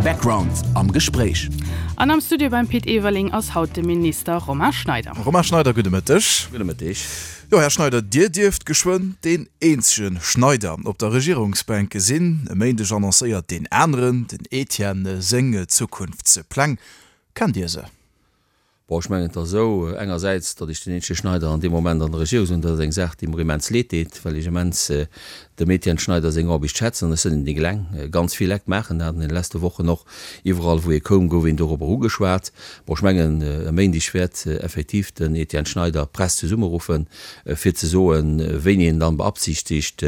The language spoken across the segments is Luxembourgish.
Background am Gespréich. An am Studio beim Pit Everling ass haut de Minister Romain Schneider. Romain Schneider, gudde Mëtteg. Gudde Mëtteg. Jo, Här Schneider, Dir dierft geschwënn deen eenzege Schneider op der Regierungsbänk sinn. E Méindeg annoncéiert deen aneren, den Etienne, seng Zukunftspläng. Kennt Dir se? Bon, ech mengen, et ass esou, engersäits, datt ech den eenzege Schneider an deem Moment an der Regierung sinn, dat ass eng Saach, déi mer immens leed deet, well ech immens dem Etienne Schneider seng Aarbecht schätzen an ech sinn nik eleng. Ganz vill Lekt maachen dat an deene leschte Wochen och. Iwwerall, wou ee koum, gouf een dorobber ugeschwat. Bon, ech mengen, e Méindeg wäert effektiv den Etienne Schneider d'Press zesummeruffen, fir ze soen, wéini en dann beabsichtigt,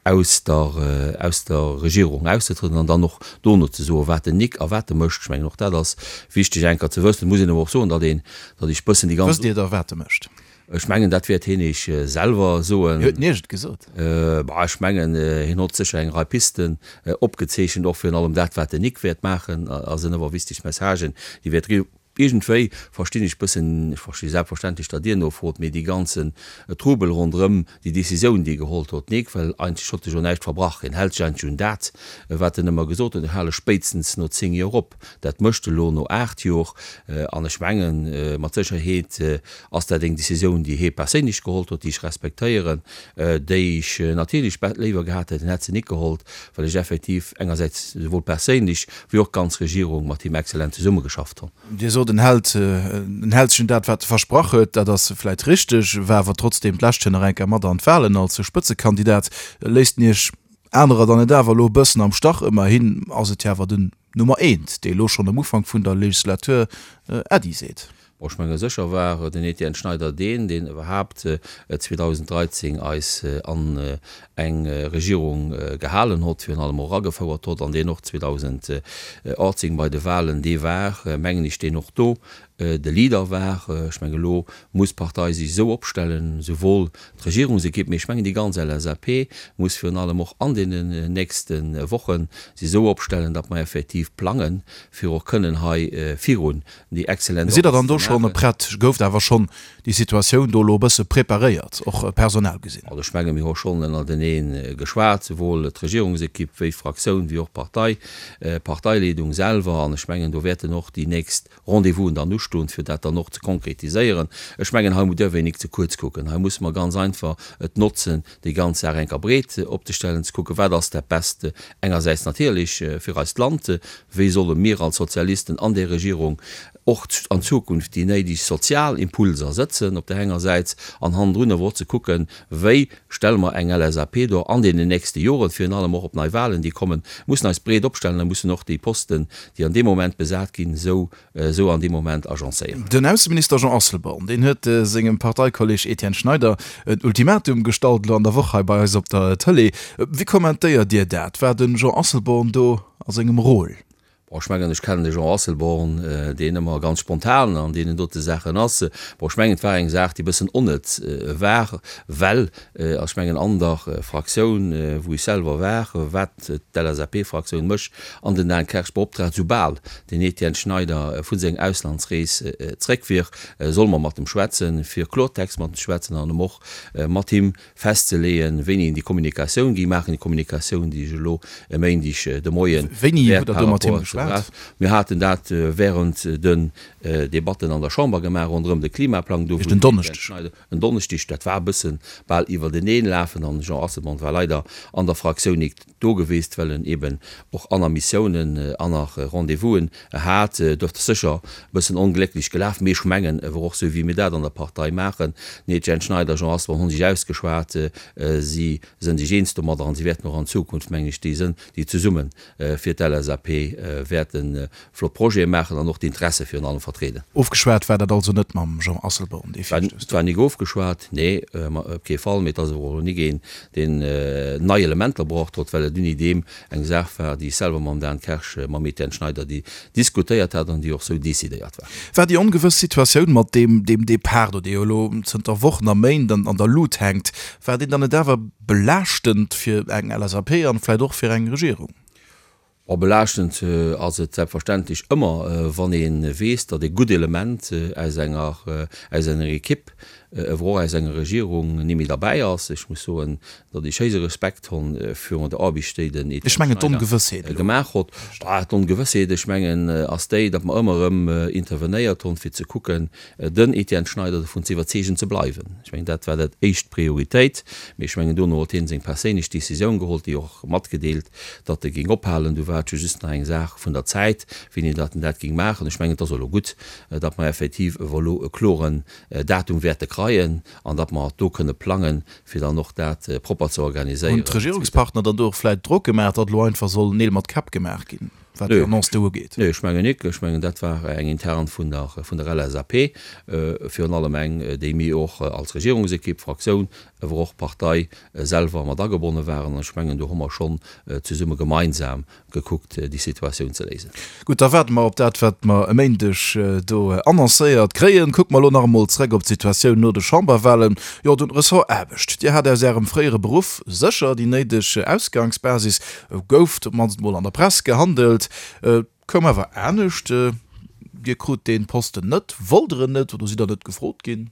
aus der, aus der Regierung auszetrëden an dann och dono ze soen, wat den Nick a wat e mécht. Ech mengen, och dat ass wichteg enker ze wëssen. Et muss een awer och soen, datt een, datt ech bëssen déi ganz. Wësst Dir da, wat e mécht? Ech mengen, dat wäert hien Iech selwer soen. Huet en Iech et gesot? Bah, ech mengen, hien hott sécher eng Rei Pisten opgezeechent, och virun allem dat, wat den Nick wäert maachen, a sinn awer wichteg Messagen, déi wäert. Iergendwéi verstinn ech bëssen, ech versti selbstverständlech, datt Dir nofrot, mee dee ganzen Trubel ronderëm déi Décisioun, déi e geholl huet, Nik, well eigentlech hott e jo näischt verbrach. Hien hält sech eigentlech un dat, wat en ëmmer gesot huet, Ech hale spéitstens no 10 Joer op. Dat mécht e lo no 8 Jor. An ech mengen, mat Sécherheet ass dat eng Décisioun, déi hie perséinlech geholl huet, déi ech respektéieren, déi ech natierlech léiwer gehat hätt, en hätt se nik geholl, well ech effektiv engersäits souwuel perséinlech wéi och d'ganz Regierung mat him exzellent zesummegeschafft hunn. Dir sot, en hält, en hält sech un dat, wat e versprach huet. Dat ass vläit richteg, war awer trotzdeem d'lescht Joer nach eng Kéier mat an d'Wahlen als Spëtzekandidat. Léisst en Iech anerer dann net awer elo e bëssen am Stach? Ëmmerhin ass et jo awer den Nummer eent, dee elo schonn um Ufank vun der Legislatur Äddi seet. Bon, ech menge sécher war den Etienne Schneider deen, deen iwwerhaapt 2013 eis an eng Regierung gehalen hott, virun allem och eragefouert hott, an deen och 2018 bei de Wahlen dee war, mengen ech, deen och do de Leader war. Ech menge elo muss d'Partei sech esou opstellen, souwuel d'Regierungsekipp, mee ech mengen déi ganz LSAP muss virun allem och an deenen nächste Woche sech esou opstellen, datt mer effektiv plangen, fir och kënnen hei virun déi excellent Sidd Der dann do schonn prett? Gouft awer schonn déi Situatioun do elo e bësse preparéiert, och personell gesinn? Also ech menge mir hu schonn ënnertenee geschwat, souwuel d'Regierungsekipp wéi d'Fraktioun wéi och d'Partei, d'Parteileedung selwer. An ech mengen do wäerten och déi nächst Rendez-vousen dann ustoen, fir dat dann och ze konkretiséieren. Ech mengen hei däerf een nik ze kuerz kucken. Hei musse mer ganz einfach et notzen, déi ganz Saach enker breet opzestellen, ze kucken, wat ass dat Best engersäits natierlech fir eist Land, wéi solle mir als Sozialisten an där Regierung och an Zukunft déi néideg sozial Impulser sëtzen op där enger Säit, an hannendrun awer och ze kucken, wéi stelle mer eng LSAP do an deenen nächste Joren, virun allem och op nei Wahlen, déi kommen, mussen eis breet opstellen a mussen och déi Posten, déi an deem Moment besat ginn, esou esou an deem Moment agencéieren. Den Ausseminister Jean Asselborn, deen huet sengem Parteikolleg Etienne Schneider en Ultimatum gestallt elo an der Woch hei bei eis op der Tëlee. Wéi kommentéiert Dir dat? War de Jean Asselborn do a sengem Rôle? Bon, ech mengen, ech kennen de Jean Asselborn, deen ëmmer ganz spontan an deenen dote Saachen ass. Bon, ech mengen, et war eng Saach, déi e bëssen onnëtz war, well, ech mengen, an der Fraktioun, wou ech selwer war, wat d'LSAP-Fraktioun mech an den Dan Kersch beoptraagt, soubal den Etienne Schneider vu senger Auslandsrees zréck wier, solle mer mat em schwätzen, fir Klortext mat em ze schwätzen an em och mat him festzeleeën, wéini en déi Kommunikatioun géing maachen, déi Kommunikatioun, déi ech elo e Méindeg de Moie Wéini hutt Der do mat him geschwat? Mir haten dat während den Debatten an der Chamber gemaach ronderëm de Klimaplang, do wou den Etienne Schneider en Donneschdeg, dat war e bësse bal iwwerteneenlafen an de Jean Asselborn war leider an der Fraktioun nik do geweest, well en eben och aner Missiounen, aner Rendez-vousen hat. Dofir ass sécher e bëssen onglécklech gelaf, mee ech mengen, e wor och sou wéi mir dat an der Partei maachen, den Etienne Schneider, Jean Asselborn hunn sech ausgeschwat, si sënn sech eens domadder an si wäerten och an Zukunft, mengen ech, déi sënn, déi zesumme fir d'LSAP wäerte flott Projete maachen an och d'Interesse virun allem vertrieden. Ofgeschwat war dat also net mam Jean Asselborn, dee Virstouss do? Et war nik ofgeschwat, nee, op kee Fall. Mee et ass awer och elo nik een, deen nei Elementer braucht hott, well et unni deem eng Saach war, déi ech selwer mam Dan Kersch, mam Etienne Schneider déi diskutéiert hat an déi och sou decidéiert war. War déi ongewëss Situatioun mat deem deem Depart do, dee jo elo zënter Wochen a Méint an an der Lut hänkt, war deen dann net awer belaaschtend fir eng LSAP an vläit och fir eng Regierung? Bon, belaaschtend ass et selbstverständlech ëmmer, wann ee weess, datt e gutt Element aus enger, aus enger Ekipp. ewwer och aus enger Regierung nimmi derbäi ass. Ech muss soen, datt ech héije Respekt honn virun der Aarbicht, déi den Ech mengen d'Ongewëssheet elo. Gemaach hott. D'Ongewëssheet, ech mengen, ass déi, datt mer ëmmer erëm intervenéiert honn, fir ze kucken, den Etienne Schneider dovun ze iwwerzeegen, ze bleiwen. Ech mengen, dat war dat éischt Prioritéit. Mee ech mengen, dono huet hien seng perséinlech Décisioun geholl, déi och matgedeelt, datt e géing ophalen. Du war et jo just nach eng Saach vun der Zäit, wéini datt en dat géing maachen. Ech mengen, et ass elo gutt, datt mer effektiv ewell elo e kloren Datum wäerte kreien an datt mer do kënne plangen, fir dann och dat propper ze Hunn organiséieren. d'Regierungspartner dann do och vläit Drock gemaach, datt elo einfach soll Neel mat Käpp gemaach ginn, wat déi Annonce do ugeet? Nee, ech mengen nik. Ech mengen, dat war eng intern vun der vun der LSAP, virun allem eng, déi mir och als Regierungsekipp, Fraktioun, awer och Partei selwer mat agebonne waren. An ech mengen, do hu mer schonn zesumme gemeinsam gekuckt déi Situatioun ze léisen. Gutt, da waarde mer op dat, wat mer e Méindeg do annoncéiert kréien. Kucke mer elo nach emol zrëck op d'Situatioun no de Chamberwahlen. Jo, den Ressort Aarbecht. Dir hat aus Ärem fréiere Beruff sécher déi néideg Ausgangsbasis, gouf op d'mannst emol an der Press gehandelt. Et koum awer anescht, Dir krut dee Posten net. Wollt Der en net oder sidd Der net gefrot ginn?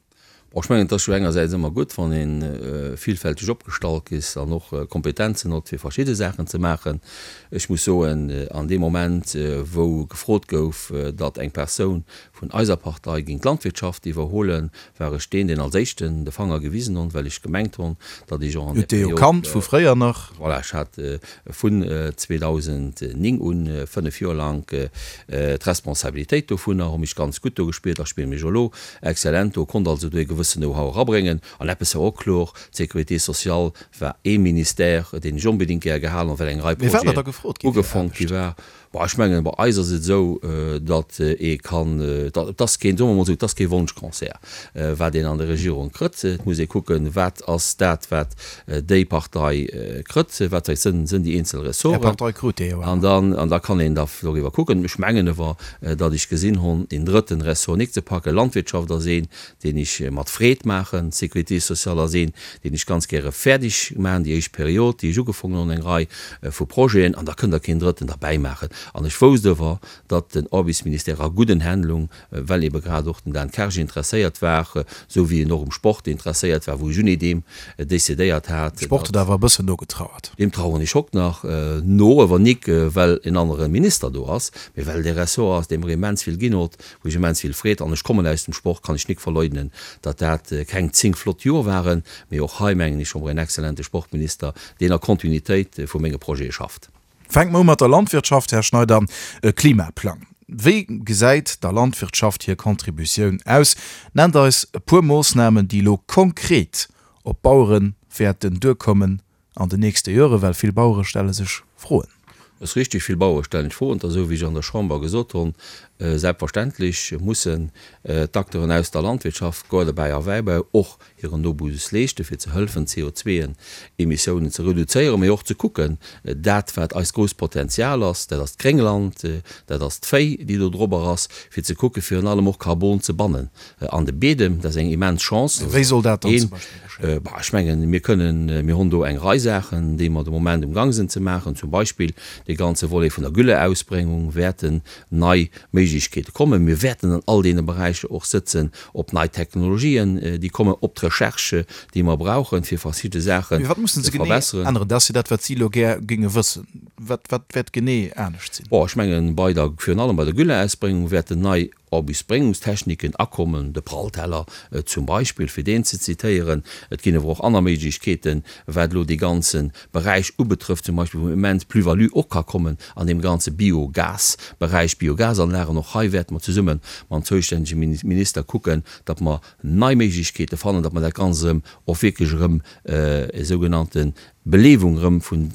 Bon, ech mengen, et ass jo engersäits ëmmer gutt, wann ee villfälteg opgestallt is an och Kompetenzen hott, fir verschidde Saachen ze maachen. Ech muss soen, an deem Moment, wou gefrot gouf, datt eng Persoun vun eiser Partei géing d'Landwirtschaft iwwerholen, war ech deen, deen als éischten de Fanger gewisen hon, well ech gemengt hon, datt ech och an där Period. Hutt Dir jo kannt vu fréier nach. Voilà, ech hat vun 2009 un, fënnef Joer lang, d'Responsabilitéit dovunner, hu mech ganz gutt do gespiert a spille mech och elo Excellent, do konnt also do ee gewëssen Know-how erabréngen. An eppes war och kloer, d'Sécurité sociale war ee Ministère, deen ech onbedéngt gär gehalen hunn, well eng Rei Projeten ugefonkt gi war. Bon, ech mengen, bei eis ass et esou, datt ee kann, et ass keen, soe mer emol esou, et ass kee Wonschconcert, wat een an der Regierung krëtt. Et muss ee kucken, wat ass dat, wat déi Partei krëtt, wat sinn déi eenzel Ressorten. Är Partei krut déi jo awer. An da kann een da doriwwer kucken. Ech mengen ewer, datt ech gesinn honn, deen drëtten Ressort nik ze packen. Landwirtschaft ass een, deen ech mat Freed maachen. Sécurité sociale ass een, deen ech ganz gäre fäerdeg maachen, déi éischt Period, déi ech ugefongen honn, eng Rei vu Projeten, an da kënnt Der keen drëtten derbäi maachen. An ech wousst ewer, datt den Aarbechtsministère a gudden Hänn lung, well ebe grad och den Dan Kersch interesséiert war, esou wéi en och um Sport interesséiert war, wou ech unedem decidéiert hat, Sport huet awer e bëssen nogetrauert. Deem traueren ech hokt nach no, awer nik well en anere Minister do ass, mee well et e Ressort ass, dee mer immens vill ginn hot, wou ech immens vill Freed, an ech kommen aus dem Sport, kann ech nik verleugnen, datt dat keng 10 flott Joer waren, mee och hei mengen ech hu mer en excellente Sportminister, deen a Kontinuitéit vu menge Projete schafft. Fänke mer u mat der Landwirtschaft, Här Schneider. E Klimaplang, wéi gesäit der Landwirtschaft hir Contributioun aus? Nennt eis e puer Moossnamen, déi elo konkret op d'Bauere wäerten duerkommen an den nächste Joren, well vill Bauere stelle sech Froen. Et ass richtig, vill Bauere stellen sech Froen. Et ass esou, wéi ech an der Chamber gesot hunn, Selbstverständlech mussen d'Acteuren aus der Landwirtschaft, Gaardebäi a Wäibau, och hiren Nobus leeschten, fir ze hëllefen, d'CO2-Emissiounen ze reduzéieren, mee och ze kucken, dat wat eist grousst Potenzial ass, dat ass d'Gréngland, dat ass d'Véi, déi do dorobber ass, fir ze kucken, virun allem och Karbon ze bannen an de Beedem. Dat ass eng immens Chance. Wéi soll dat dann zum Beispill geschéien? Bah, ech mengen, mir kënnen, mir hunn do eng Rei Saachen, déi mer de Moment um Gang sinn ze maachen, zum Beispill dee ganze Volet vun der Gülleausbréngung wäerten nei Méiglechkeete kommen. Mir wäerten an all deene Beräicher och sëtzen op nei Technologien, déi kommen, op d'Recherche, déi mer brauchen, fir verschidde Saachen Mee wat mussen ze se genee verbesseren. änneren? Dat ass jo dat, wat si elo gär géinge wëssen. Wat, wat wäert genee anescht sinn? Bon, ech mengen, bei der, virun allem bei der Gülleausbréngung wäerten nei Ausbréngungstechniken akommen, de Prallteller zum Beispill, fir deen ze zitéieren. Et ginn awer och aner Méiglechkeeten, wat elo dee ganze Beräich ubetrëfft, zum Beispill wou immens Plus-value och ka kommen an deem ganze Biogasberäich, Biogasanlagen. Och hei wäerte mer zesumme mam zoustännege Minister kucken, datt mer nei Méiglechkeete fannen, datt mer dat Ganzt erëm och wierklech erëm e sougenannte Belewung erëm vun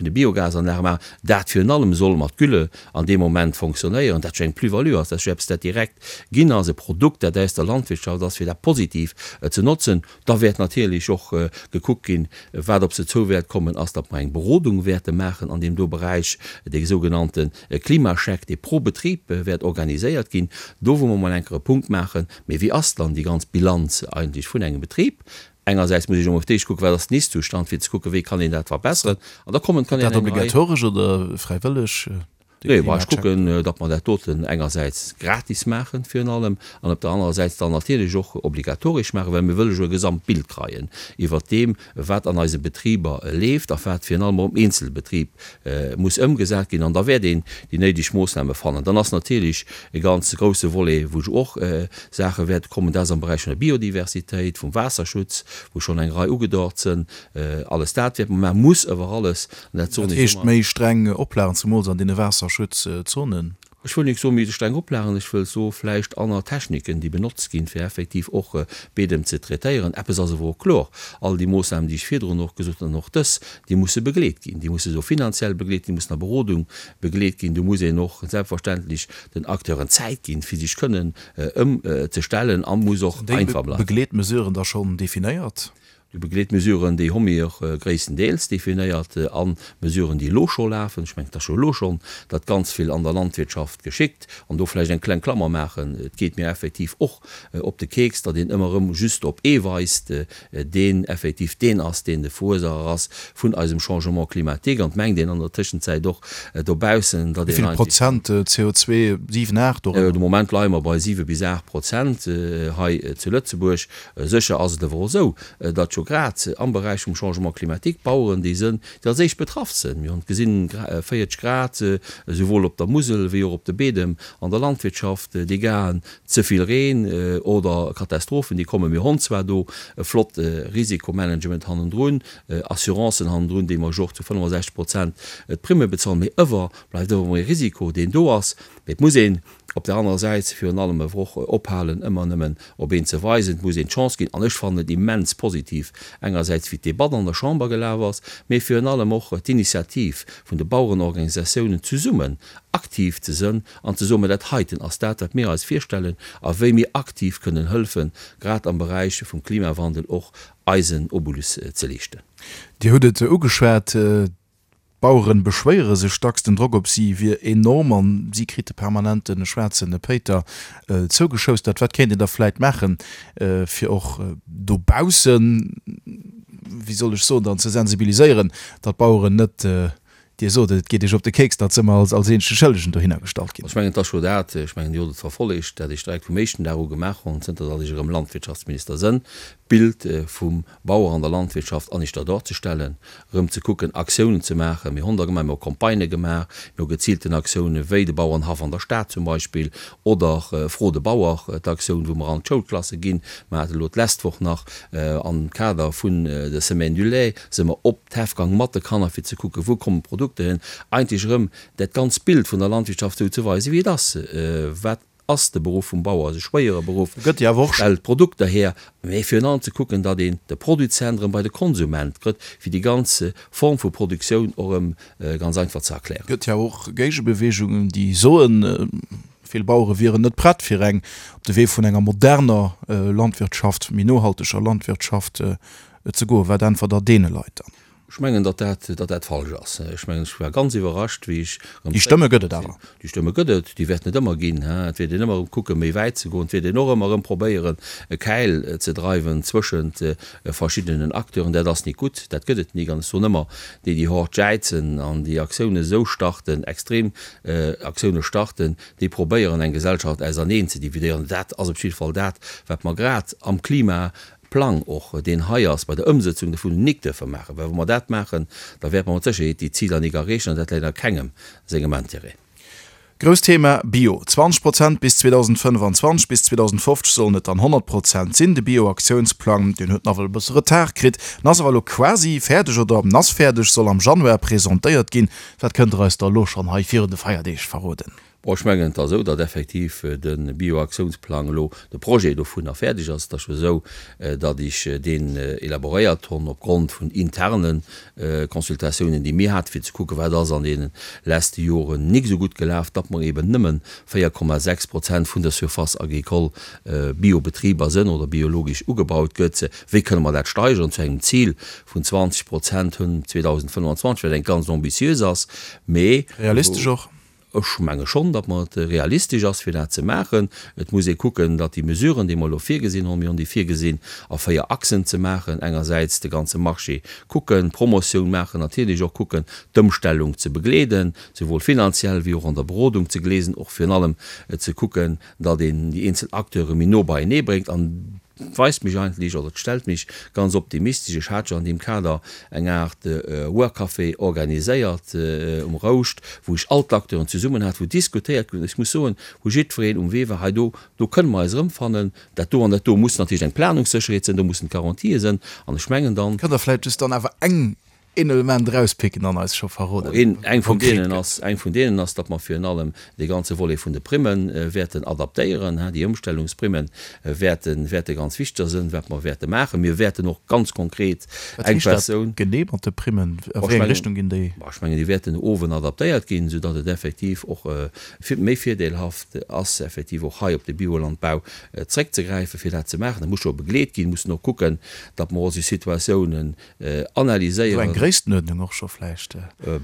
de Biogasanlage maachen. Dat virun allem soll mat Gülle an deem Moment fonctionnéieren, dat jo eng Plus-value ass, dat ass jo eppes, dat direkt ginn ass, e Produkt, dat aus der Landwirtschaft ass, fir dat positiv ze notzen. Da wäert natierlech och gekuckt ginn, wat op se zou wäert kommen, ass, datt mer eng Berodung wäerte maachen an deem do Beräich, dee sougenannte Klimascheck, dee pro Betrib wäert organiséiert ginn, do wou mer mol enker e Punkt maachen, mee wéi ass dann déi ganz Bilanz eigentlech vun engem Betrib? Engersäits muss ech emol op d'éischt kucken, wat ass den Ist-Zustand, fir ze kucken, wéi kann een dat verbesseren. An da kommen, kann een Dat eng Rei. obligatoresch oder fräiwëlleg? De Nee, bah, ech Klimacheck. kucken, datt mer dat doten engersäits gratis maachen, virun allem, an op der anerer Säits dann natierlech och obligatoresch maachen, well mir wëlle jo e Gesamtbild kreien iwwert deem, wat an eise Betriber leeft a wat virun allem och am Eenzelbetrib muss ëmgesat ginn. An da wäert een déi néideg Moossname fannen. Dann ass natierlech e ganz grouse Volet, wou och Saache wäerte kommen, dat ass am Beräich vun der Biodiversitéit, vum Waasserschutz, wou schonn eng Rei ugedort sënn. Alles dat wäerte mer maachen, muss awer alles, an dat soen ech ëmmer. Dat heescht méi streng Oplagen, zemools an deene Waasserschutzzonen? Ech wëll nik soe méi streng Oplagen, ech wëll soe vläicht aner Techniken, déi benotzt ginn, fir effektiv och Beedem ze traitéieren. Eppes ass awer och kloer, All déi Moossnamen, déi ech virdrun och gesot hunn, an och dës, déi musse begleet ginn. Déi musse esou finanziell begleet ginn, déi mussen a Berodung begleet ginn. Do muss een och selbstverständlech den Acteuren Zäit ginn, fir sech kënnen ëmzestellen a muss och Sinn déi einfach bleiwen. Begleetmesuren da schonn definéiert? Déi Begleetmesuren, déi hu mir gréisstendeels definéiert a Mesuren, déi elo scho lafen. Ech mengen, et ass jo elo schonn dat ganz vill an der Landwirtschaft geschickt. An do vläicht eng kleng Klammer maachen, Et geet mir effektiv och op de Keks, datt een ëmmer erëm just op ee weist, deen effektiv deen ass, deen de Verursacher ass vun eisem Changement climatique. An et mengt een an der Tëschenzäit och dobaussen, datt een eigentlech. Wéi vill Prozent CO2? 7, 8 dorëmmer? De Moment leie mer bei 7 bis 8 Prozent hei zu Lëtzebuerg. Sécher ass et awer och esou, datt jo grad am Beräich vum Changement climatique d'Baueren déi sënn, déi als éischt betraff sënn. Mir hunn et gesinn, 40 Grad esouwuel op der Musel wéi och op de Beedem an der Landwirtschaft, Dégâten, ze vill Reen oder Katastrophen, déi kommen. Mir honn zwar do e flott Risikomanagement hannendrun, Assurancen hannendrun, déi mer jo och zu 65 Prozent d'Primme bezahlen, mee ëwer bleift ëwer emol e Risiko, deen do ass. Mee et muss een Op der anerer Säit virun allem awer och ophalen, ëmmer nëmmen op een ze weisen. Et muss een d'Chance ginn, an ech fannen et immens positiv, engersäits wéi d'Debatt an der Chamber gelaf ass, mee virun allem och d'Initiativ vun de Bauerenorganisatiounen zesummen aktiv ze sënn an ze soen, mä dat heiten ass dat, wat mir eis virstellen a wéi mir aktiv kënnen hëlfen, grad am Beräich vum Klimawandel och eisen Obolus ze leeschten. Dir hutt et ugeschwat, D'Baueren beschwéiere sech dacks, den Drock op si wier enorm an si krite permanent de schwaarze Péiter zougeschoustert. Wat kéint een da vläit maachen, fir och dobaussen, wéi soll ech soen, dann ze sensibiliséieren, datt d'Baueren net, Dir sot et, et geet Iech op de Keks, datt se ëmmer als als eenzege Schëllegen dohinner gestallt ginn. Ech mengen, et ass scho dat, ech mengen, Dir hutt et verfollegt, dat ech direkt vum éischten Dag u gemaach hunn, zënter datt ech erëm Landwirtschaftsminister sënn, d'Bild vum Bauer an der Landwirtschaft aneschter dorzestellen, erëm ze kucken, Aktiounen ze maachen. Mir hunn der gemaach, mir hu Campagnë gemaach, mir hu geziilten Aktiounen, wéi de Bauernhaff an der Stad zum Beispill, oder Fro de Bauer, d'Aktioun, wou mer an d'Schoulklasse ginn. Mer hate elo d'lescht Woch nach am Kader vun der Semaine du lait, si mer op d'Häff gaang mat de Kanner, fir ze kucken, wou kommen d'Produkter hin. Eigentlech erëm dat ganzt Bild vun der Landwirtschaft esou ze weisen, wéi et ass, wat Ass de Beruff vum Bauer ass e schwéiere Beruff, Gëtt jo awer och. Stellt Produkter här, mee virun allem ze kucken, datt een de Produzent erëm bei de Konsument krëtt, fir déi ganz Form vu Produktioun och erëm ganz einfach ze erklären. Gëtt jo awer och Géigebewegungen, déi soen, vill Bauere wieren net prett, fir eng op de Wee vun enger moderner Landwirtschaft, méi nohalteger Landwirtschaft ze goen. Wat äntwert Der deene Leit dann? Ech mengen, datt dat, datt dat falsch ass. Ech mengen, ech war ganz iwwerrascht, wéi ech erëm Déi Stëmme gëtt et awer. Déi Stëmme gëtt et, déi wäerten et ëmmer ginn. Et wäert een ëmmer erëm kucken, méi wäit ze goen. Et wäert een och ëmmer erëm probéieren, e Käil ze dreiwen zwëschent verschiddenen Acteuren. Dat ass nik gutt, dat gëtt et nik. An ech soen ëmmer, déi, déi hort jäizen an déi Aktiounen esou starten, extrem Aktiounen starten, déi probéieren, eng Gesellschaft auserneen ze dividéieren. Dat ass op jidde Fall dat, wat mer grad am Klima Plang och, deen hei ass, bei der Ëmsëtzung dovun nik duerfe maachen, well wa mer dat maachen, da wäerte mer mat Sécherheet déi Ziler nik erreechen an dat läit a kengem sengem Intérêt. Grousst Thema, Bio. 20 Prozent bis 2025, bis 2050 sollen et dann 100 Prozent sinn. De Bio-Aktiounsplang, deen huet nawell e bësse Retard kritt, en ass awer elo quasi fäerdeg oder en ass fäerdeg, soll am Januar presentéiert ginn. Wat kënnt der eis da elo schonn hei virun de Feierdeeg verroden? Bon, ech mengen, et ass esou, datt effektiv de Bioaktiounsplang elo, de Projet dovunner fäerdeg ass. Et ass jo esou, datt ech deen elaboréiert honn opgrond vun interne Consultatiounen, déi mir haten, fir ze kucken, wat ass an deene leschte Joren nik esou gutt gelaf, datt mer eben nëmme 4,6 Prozent vun der Surface agricole Biobetriber sënn oder biologesch ugebaut gëtt. Wéi kënne mer dat steigeren zu engem Zil vun 20 Prozent hënn 2025, wat eng ganz ambitiös ass, mee. Realistesch och. Ech menge schonn, datt mer et realistesch ass, fir dat ze maachen. Et muss ee kucken, datt déi Mesuren, déi mer elo virgesinn hunn, mir hunn déi virgesinn a 4 Achsen ze maachen, engersäits de ganze Marché kucken, Promotioun maachen, natierlech och kucken, d'Ëmstellung ze begleeden, souwuel finanziell wéi och an der Berodung ze gleesen, och virun allem ze kucken, datt een déi eenzel Acteure méi no beienee bréngt. An et weist mech eigentlech, oder et stellt mech ganz optimistesch, ech hat jo an deem Kader eng Aart Workcafé organiséiert um Rouscht, wou ech all d'Acteuren zesummen hat, wou diskutéiert gouf, ech muss soen, wou jiddwereen um Wee war, hei do, do kënne mer eis erëmfannen, dat do an dat do muss natierlech eng Planungssécherheet sinn, do mussen d'Garantië sinn. An ech mengen dann. Kënnt Der vläicht just dann awer eng een Element erauspicken an eis scho verroden, Een, eng vun deenen ass, eng vun deenen ass, datt mer virun allem dee ganze Volet vun de Primme wäerten adaptéieren, hein, déi Ëmstellungsprimme wäerten, wäerte ganz wichteg sënn, wat mer wäerte maachen. Mir wäerten och ganz konkret Wat eng heescht dat Persoun. genee mat de Primmen? A wéi eng Richtung ginn déi? Ech mengen, déi wäerten no owen adaptéiert ginn, soudatt et effektiv och méi virdeelhaft ass, effektiv och hei op de Biolandbau zréckzegräifen, fir dat ze maachen. Dat muss scho begleet ginn, mussen och kucken, datt mer och esou Situatiounen analyséieren. Esou eng Gréisstenuerdnung och scho vläicht?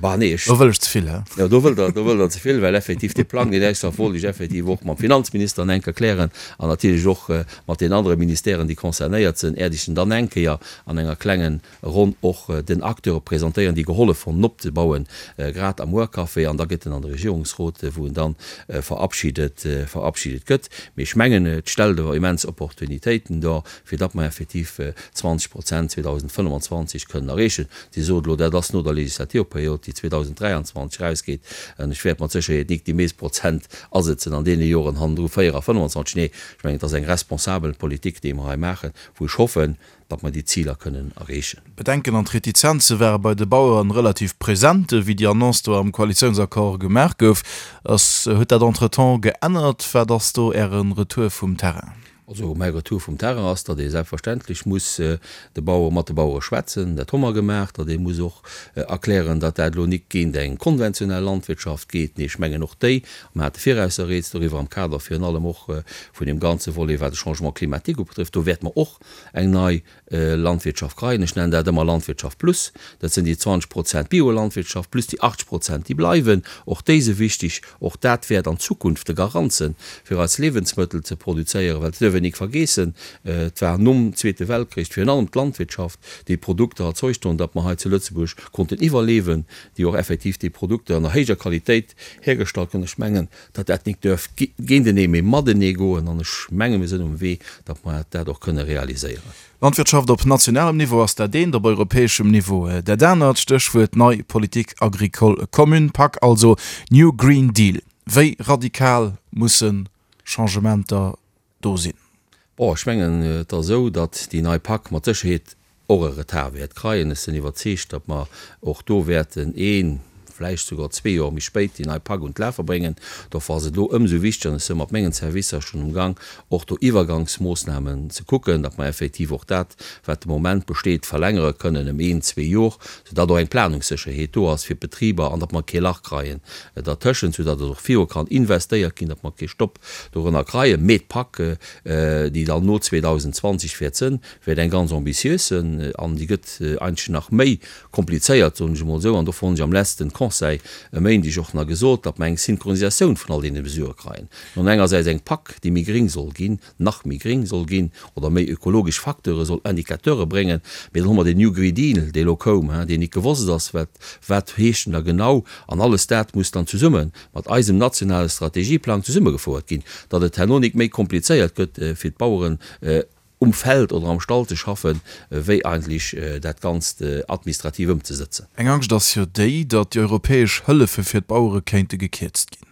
Bah, nee, ech. Do wëll ech ze vill, hä? Jo, do wëllt Der, do wëllt Der ze vill, well effektiv dee Plang, deen extra wollt ech effektiv och mam Finanzminister eng Kéier klären an natierlech och mat den anere Ministèren, déi concernéiert sinn, äert ech en dann eng Kéier an enger klengen Ronn och den Acteure presentéieren, déi gehollef hunn, en opzebauen, grad am Workcafé, an da gëtt en an de Regierungsrot, wou en dann verabschiedet, verabschiedet gëtt. Mee ech mengen, et stellt awer immens Opportunitéiten dar, fir datt mer effektiv 20 Prozent 2025 kënnen erreechen. Dir sot elo, dat ass no der Legislaturperiod, déi 2023 erausgeet, an ech wäert mat Sécherheet nik déi meescht Prozent asëtzen an deene Joren hannendru, 4 a 25. Nee, ech mengen, et ass eng responsabel Politik, déi mer hei maachen, wou ech hoffen, datt mer déi Ziler kënnen erreechen. D'Bedenken an d'Retizenze ware bei de Baueren relativ present, wéi déi Annonce do am Koalitiounsaccord gemaach gouf. Ass, huet dat entretemps geännert? Wat ass do Äre Retour vum Terrain? Also mäi Retour vum Terrain ass, datt ee selbstverständlech muss de Bauere, mat de Bauere schwätzen. Dat hu mer gemaach. Datt ee muss och erklären, datt dat elo nik géint eng konventionell Landwirtschaft geet. Nee, ech mengen och déi, a mer hate virausser Rieds doriwwer am Kader virun allem och vun deem ganze Volet wat de Changement climatique ubetrifft, do wäerte mer och eng nei Landwirtschaft kreien. Ech nennen dat ëmmer Landwirtschaft plus. Dat sinn déi 20 Prozent Biolandwirtschaft plus déi 80 Prozent, déi bleiwen. Och déi si wichtig. Och dat wäert an Zukunft de Garant sinn, fir eis Liewensmëttel ze produzéieren. Well et duerf een nik vergeessen, et war nom Zweete Weltkrich virun allem d'Landwirtschaft, déi Produkter erzeugt hunn, datt mer hei zu Lëtzebuerg konnten iwwerlewen, déi och effektiv déi Produkter an der héijer Qualitéit hergestallt hunn. Ech mengen, datt dat nik duerf géintenee, mee matenee goen. An ech menge mir sinn um Wee, datt mer dat och kënne realiséieren. Landwirtschaft op nationalem Niveau ass dat eent, op europäeschem Niveau dat anert. Stéchwuert nei Politique agricole commune, pak, also New Green Deal. Wéi radikal musse Changementer do sinn? Bon, ech mengen, et ass esou, datt déi nei pak mat Sécherheet och e Retard wäert kreien. Ech sinn iwwerzeegt, datt mer och do wäerten een, vläicht souguer zwee Joer méi spéit déi nei pak un d'Lafe bréngen. Dofir ass et elo ëmsou wichteger, an ech si mat mengen Servicer schonn um Gang, och do Iwwergangsmoossnamen ze kucken, datt mer effektiv och dat, wat de Moment besteet, verlängere kënnen ëm een, zwee Jor, soudatt och eng Planungssécherheet do ass fir d'Betriber an datt mer kee Lach kreien dertëschent, soudatt et och viru kann investéiert ginn, datt mer kee Stopp dorënner kreien. Mee d'PAC, déi dann no 2020 wäert sënn, wäert eng ganz ambitiös sënn an déi gëtt eigentlech nach méi komplizéiert, soen ech emol esou. An dofir hunn ech am letzten Conseil e Méindeg och nach gesot, datt mer eng Synchronisatioun vun all deene Mesurë kreien. Mir hunn engersäits eng PAC, déi méi gring soll ginn, nach méi gring soll ginn oder méi ökologesch Facteure soll, Indicateure bréngen. Mee dann hu mer den New Green Deal, dee elo koum, deen nik gewosst ass, wat, wat heescht en da genau. An alles dat muss dann zesumme mat eisem nationale Strategieplang zesummegefouert ginn, datt et herno nik méi komplizéiert gëtt fir d'Baueren um Feld oder am Stall ze schaffen, wéi eigentlech dat Ganzt administrativ ëmzesëtzen. Eng Angscht ass jo déi, datt déi europäesch Hëllefe fir d'Bauere kéinte gekierzt ginn.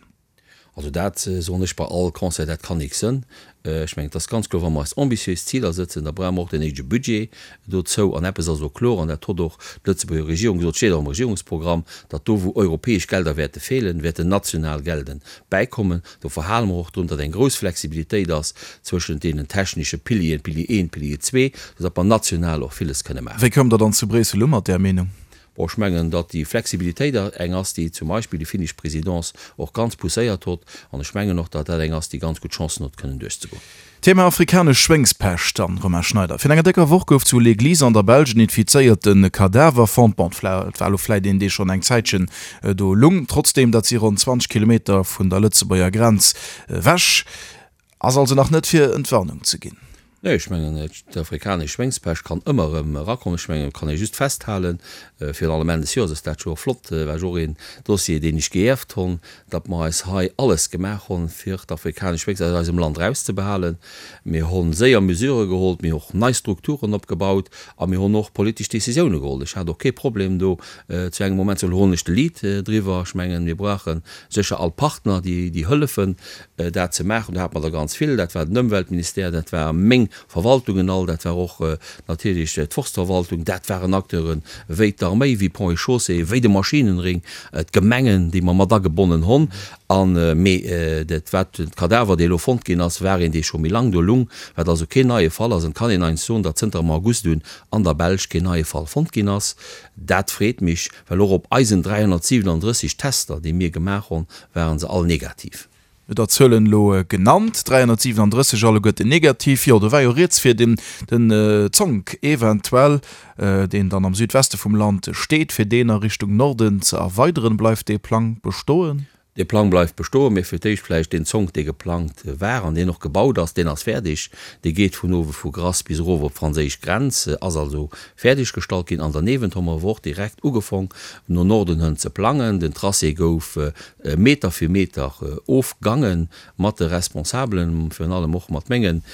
Also dat soen ech bei all Conseil, dat kann nik sënn. Ech mengen, et ass ganz kloer, wa mer eis ambitiös Ziler sëtzen, da brauche mer och den néidege Budget dozou. An eppes ass och kloer, an dat hott och d'Lëtzebuerger Regierung gesot, steet och am Regierungsprogramm, datt do wou europäesch Gelder wäerte feelen, wäerten national Gelden bäikommen. Do verhale mer och drun, datt eng grouss Flexibilitéit ass zwëschent deenen technesche Pilieren, Pilier I, Pilier ii, soudatt mer national och villes kënne maachen. Wéi koum Der dann zu Bréissel u mat där Meenung? Bon, ech mengen, datt déi Flexibilitéit eng ass, déi zum Beispill déi finnesch Présidence och ganz pousséiert hott. An ech mengen och, datt dat eng ass, déi ganz gutt Chancen huet, kënnen duerchzegoen. Thema afrikanesch Schwéngspescht dann, Romain Schneider. Virun enger décker Woch gouf zu Léglise an der Belsch en infizéierte Kadaver fonnt. Bon, et war elo vläit een, dee schonn eng Zäitchen do lung. Trotzdeem, dat si ronn 20 Kilometer vun der Lëtzebuerger Grenz ewech. Ass also nach net fir Entwarnung ze ginn. Nee, ech mengen, d'afrikanesch Schwéngspescht kann ëmmer erëm erakommen. Ech mengen, et kann ee just festhalen, virun allem Enn des Joers ass dat jo och flott, war jo och een Dossier, deen ech geierft honn, datt mer eis hei alles gemaach honn, fir d'afrikanesch Schwéngspescht aus eisem Land erauszebehalen. Mir honn séier Mesurë geholl, mir hu och nei Strukturen opgebaut a mir honn och politesch Décisioune geholl. Ech hat och kee Problem do zu engem Moment ze soen, elo hollen ech de Lead driwwer. Ech mengen, mir brauche sécher all Partner, déi hëllefen, dat ze maachen. Do hate mer der ganz vill, dat war den Ëmweltministère, dat war meng Verwaltungen all, dat war och natierlech d'Forstverwaltung, dat waren Acteure wéi d'Arméi, wéi Ponts et Chaussées, wéi de Maschinenring, d'Gemengen, déi mer mat agebonnen honn. An, mee dat wat de Kadaver, dee elo fonnt ginn ass, war een, dee scho méi laang do lung, wat also keen neie Fall ass. An et kann een eins soen, datt zënter am August un an der Belsch keen neie Fall fonnt ginn ass. Dat freet mech, well och op eisen 337 Tester, déi mir gemaach honn, waren se all negativ. Et der Zuelen elo genannt, 337 alleguerten negativ. Jo, do war jo rieds fir den den Zonk eventuell, deen dann am Südweste vum Land steet, fir deen a Richtung Norden ze erweideren. Bleift dee Plang bestoen? Dee Plang bleift bestoen, mee fir d'éischt vläicht deen Zonk, dee geplangt war an deen och gebaut ass, deen ass fäerdeg. Dee geet vun uewe vu Grass bis erof op d'franséisch Grenz, ass also fäerdeg gestallt ginn. An derniewent hu mer awer och direkt ugefong no Norden hënn ze plangen. Den Tracé gouf Meter fir Meter ofgange mat de Responsabelen, virun allem och mat mengen,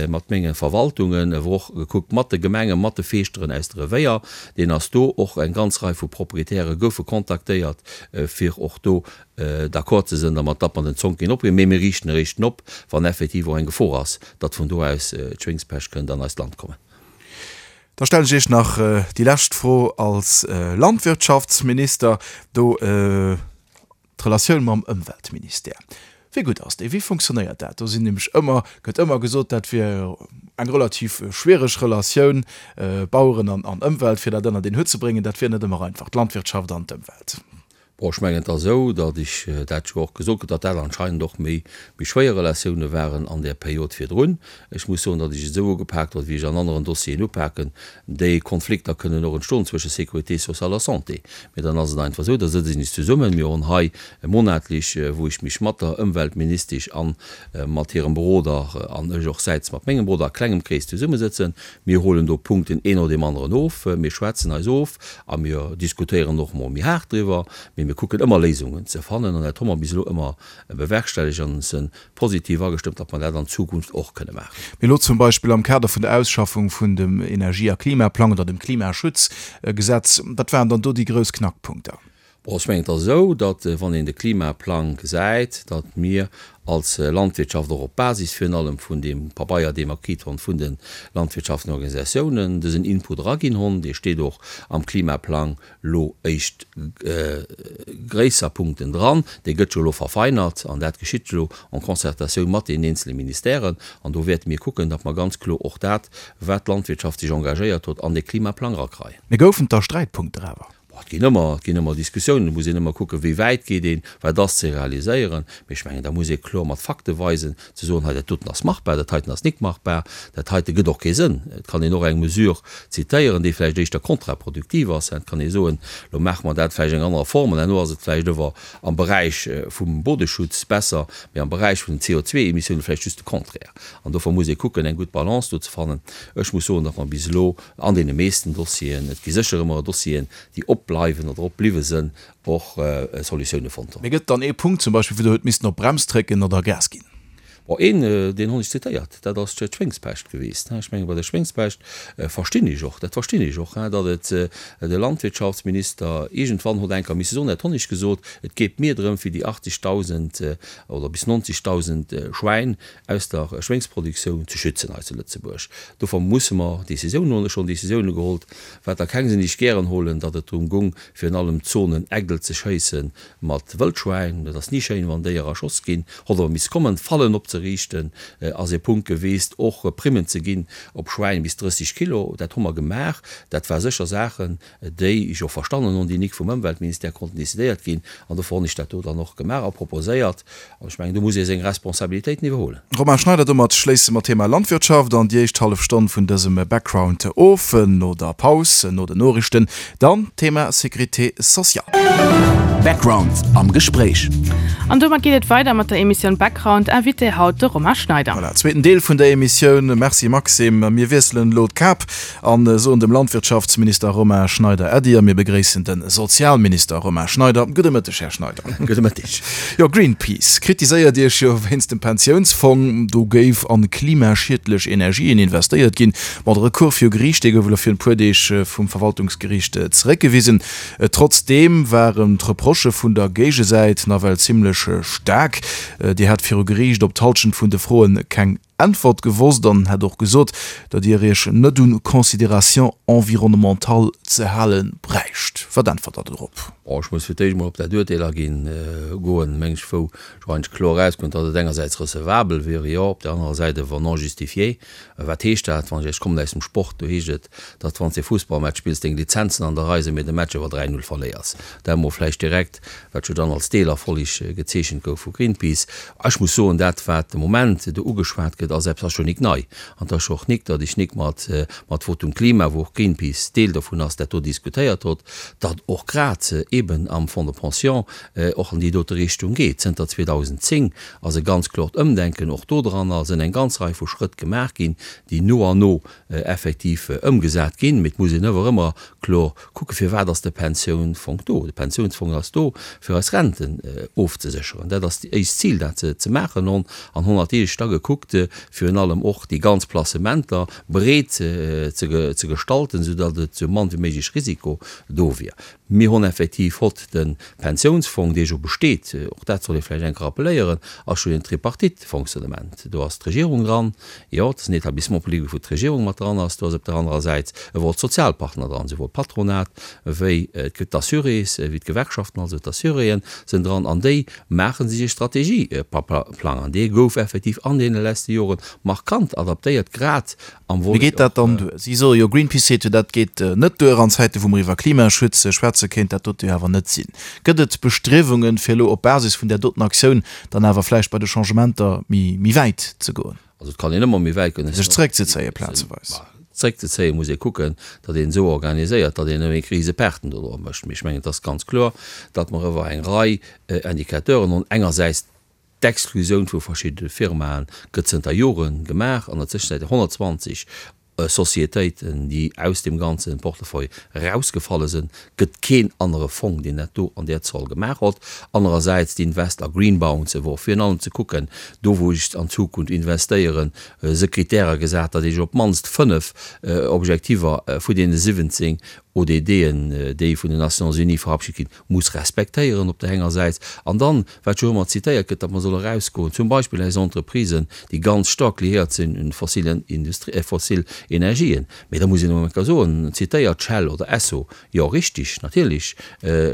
mat menge Verwaltungen, awer och gekuckt mat de Gemengen, mat de Feeschteren aus de Revéier. Deen ass do. Och eng ganz Rei vu Proprietäre goufe kontaktéiert, fir och do d'accord ze sënn dermat, datt mer den Zonk ginn opginn. Mee mir riichten eréischt op, wann effektiv och eng Gefor ass, datt vun do aus d'Schwéngspescht kënnt an eist Land kommen. Da stellen ech Iech nach déi lescht Fro als Landwirtschaftsminister do, d'Relatioun mam Ëmweltministère. Wéi gutt ass déi? Wéi funktionéiert dat? Do sinn nämlech ëmmer, gëtt ëmmer gesot, dat wier eng relativ schwiereg Relatioun, Baueren an Ëmwelt, fir dat ënnert een Hutt ze bréngen, dat wier net ëmmer einfach, d'Landwirtschaft an d'Ëmwelt. Bon, ech mengen, et ass esou, datt ech dat jo och gesot krut, datt dat anscheinend och méi, méi schwéier Relatioune waren an där Period virdrun. Ech muss soen, datt ech et esou ugepaakt huet, wéi ech an aneren Dossieren upaken. Déi Konflikter kënnen och entstoen zwësche Sécurité sociale a Santé. Mee dann ass et einfach esou, da sëtze sech zesummen. Mir hunn hei monatlech, wou ech mech mat der Ëmweltministesch a mat hirem Beroder an ech och säits mat mengem Beroder a klengem Krees zesummesëtzen. Mir holen do Punkten een no deem aneren of, mir schwätzen eis of a mir diskutéieren och mol méi haart driwwer, mee mir kucken ëmmer Léisungen ze fannen an dat hu mer bis elo ëmmer bewerkstellegt an se positiv agestëmmt, datt mer dat an Zukunft och kënne maachen. Mee elo zum Beispill am Kader vun der Ausschaffung vun dem Energie a Klimaplang oder dem Klimaschutzgesetz, wat waren dann do déi grouss Knackpunkter? Bon, ech mengen, et ass esou, datt, wann een de Klimaplang gesäit, datt mir als Landwirtschaft och op Basis virun allem vun deem Pabeier, dee mer kritt honn vun de landwirtschaftlechen Organisatiounen, dësen Input eraginn honn. Dee steet och am Klimaplang lo éischt gréisser Punkten dran. Dee gëtt jo elo verfeinert an dat geschitt elo en Concertatioun mat deenen eenzele Ministèren. An do wäerte mir kucken, datt mer ganz kloer och dat, wat d'Landwirtschaft sech engagéiert huet, an dee Klimaplang erakreien. Mee goufen et da Sträitpunkter awer? Bon, et ginn ëmmer, et ginn ëmmer Diskussiounen, et muss een ëmmer kucken, wéi wäit geet een, wat ass ze realiséieren. Mee ech mengen, da muss ee kloer mat Fakte weisen, ze soen, hei dat doten ass machbar, dat heiten ass nik machbar, dat heite gëtt och kee Sënn. Et kann een och eng Mesure zitéieren, déi vläicht éischter kontraproduktiv ass. Et kann ee soen, elo maache mer dat vläicht eng anerer Form an herno ass et vläicht ower am Beräich vum Bodeschutz besser, mee am Beräich vun den CO2-Emissiounen vläicht just de Contraire. An dofir muss ee kucken, eng gutt Balance do ze fannen. Ech muss soen, datt mer bis elo An deene meesten Dossieren, et gi sécher ëmmer Dossieren, déi opbleiwen oder opbliwwe sënn, och Solutioune fonnt hunn. Mee gëtt dann ee Punkt zum Beispill, wou Der huet missen op d'Brems drécken oder Gas ginn? Bon, een, deen hunn ech zitéiert, dat ass d'Schwéngspescht gewiescht. Ech menge bei der Schwéngspescht verstinn ech och, dat verstinn ech och, datt et de Landwirtschaftsminister iergendwann hott enker misse soen, dat hunn ech gesot, et geet mir drëm, fir déi 80.000 oder bis 90.000 Schwäin aus der Schwéngsproduktioun ze schützen hei zu Lëtzebuerg. Dofir musse mer Décisiounen huelen. Ech hunn Décisioune gehollt, wat der keng sinn, déi ech gären holen, datt et drëm gung, virun allem d'Zonen Ägdel ze schéisse mat Wëldschwäin. Dat ass ni schéin, wann Déier erschoss ginn. Hott awer misst kommen, Fallen opzeriichten. ze riichten, ass ee Punkt geweest, och Primmen ze ginn op Schwäin bis 30 Kilo. Dat hu mer gemaach. Dat war sécher Saachen, déi ech och verstannen hunn, déi nik vum Ëmweltministère konnten decidéiert ginn. An dofir hunn ech dat do dann och gemaach a proposéiert. An ech mengen, do muss ee seng Responsabilitéiten iwwerhuelen. Romain Schneider, Domat schléisse mer d'Thema Landwirtschaft an déi éischt hallef Stonn vun dësem Background of. No der Paus, no den Noriichten, dann d'Thema Sécurité sociale. Background am Gespréich. An domat geet et weider mat der Emissioun Background, Invité haut de Romain Schneider. Voilà, zweeten Deel vun der Emissioun. Merci Maxime. Mir wiesselen elo d'Kap An soen dem Landwirtschaftsminister Romain Schneider Äddi a mir begréissen de Sozialminister Romain Schneider. Gudde Mëtteg, Här Schneider. Gudde Mëtteg. Jo, Greenpeace kritiséiert Iech jo wéinst dem Pensiounsfong. Do géif an klimaschiedlech Energien investéiert ginn. Bon, de Recours viru Geriicht, dee gouf elo virun e puer Deeg vum Verwaltungsgeriicht zeréckgewisen. Trotzdeem waren d'Reprochë vun der Géigesäit nawell zimmlech staark. Dir hat viru Geriicht op d'Hallschent vun de Froen keng Äntwert gewosst an hätt och gesot, datt Dir Iech net un Considérations environnementales ze hale bräicht. Wat äntwert Der dorop? Bon, ech muss fir d'éischt emol op dat Uerteel aginn goen, meng ech, wou jo eigentlech kloer erauskënnt, datt et engersäits recevabel wier, jo, op där anerer Säit awer non justifié. Wat heescht dat? Wann ech, ech kommen aus dem Sport, do heescht et, datt wann s de e Fussballmatch spills, deng Lizenzen an der Rei sinn, mee de Match awer 3, 0 verléiers. Dat emol vläicht direkt, wat jo dann als Deelerfolleg gezeechent gouf vu Greenpeace. Ech muss soen, dat wat de Moment do ugeschwat gëtt, ass eppes, ass jo nik nei. An et ass jo och nik, datt ech nik mat mat Votum Klima, wou och Greenpeace Deel dovun ass, dat do diskutéiert hott, datt och grad eeben am Fonds de pension och an déi dote Richtung geet. Zënter 2010 ass e ganz klort Ëmdenken och do dran a sënn eng ganz Rei vu Schrëtt gemaach ginn, déi no an no effektiv ëmgesat ginn. Mee et muss een ëwer ëmmer kloer kucken, Firwat ass de Pensiounsfong do? De Pensiounsfong ass do, fir eis Renten ofzesécheren. Dat ass éist Zil, dat ze maachen. An 100 Deeg da gekuckt, virun allem och déi ganz Placementer breet ze gestalten, soudatt et sou mann wéi méiglech Risiko do wier. Mir hunn effektiv hott de Pensiounsfong, dee jo besteet, och dat soll ee vläicht eng Kéier rappeléieren, ass jo en Tripartite-Fonctionnement. Do ass d'Regierung dran, jo, et ass en Établissement public, wou d'Regierung mat dran ass, do ass op der anerer Säit ewell d'Sozialpartner dran, souwuel d'Patronat wéi d'Assurés, wéi d'Gewerkschaften, also d'Assuréen sinn dran an déi maache sech e Strategieplang an dee gouf effektiv an deene leschte Jore markant adaptéiert, grad Am Mee geet dat dann duer? Si soe jo, Greenpeace seet jo, dat geet net duer. An Zäite wou mer iwwer Klimaschutz schwätze kéint dat dote jo awer net sinn. Gëtt et Bestriewungen, fir elo op Basis vun där doten Aktioun dann awer vläicht bei de Changementer méi méi wäit ze goen? Also et kann een ëmmer méi wäit goen. Sech zeréckzezéie plazeweis. Zeréckzezéie muss ee kucken, datt een esou organiséiert, datt een net méi Kriseperten dodroer mécht. Mee ech mengen, et ass ganz kloer, datt mer iwwer eng Rei Indicateuren hunn, engersäits D'Exklusioun vu verschiddene Firmae gëtt zënter Jore gemaach an der Tëschenzäit 120 Sociétéiten, déi aus deem ganze Portefeuille erausgefalle sinn, gëtt keen anere Fong, deen dat do an där Zoll gemaach hott. Anerersäits d'Invest a Green Bonds, wou och virun allem ze kucken, do wou ech an Zukunft investéieren, se Kritäre gesat, datt ech op d'mannst 5 Objektiver vu deene 17 ODDen, déi vun den Nations Unies verabschit ginn, muss respektéieren op der enger Säit, an dann, wat jo ëmmer zitéiert gëtt, datt mer solle erausgoen, zum Beispill eis Entreprisen, déi ganz staark liéiert sinn un fossilen Industrie, fossil Energien. Mee da muss een emol eng Kéier soen, zitéiert Shell oder Esso, jo richtig, natierlech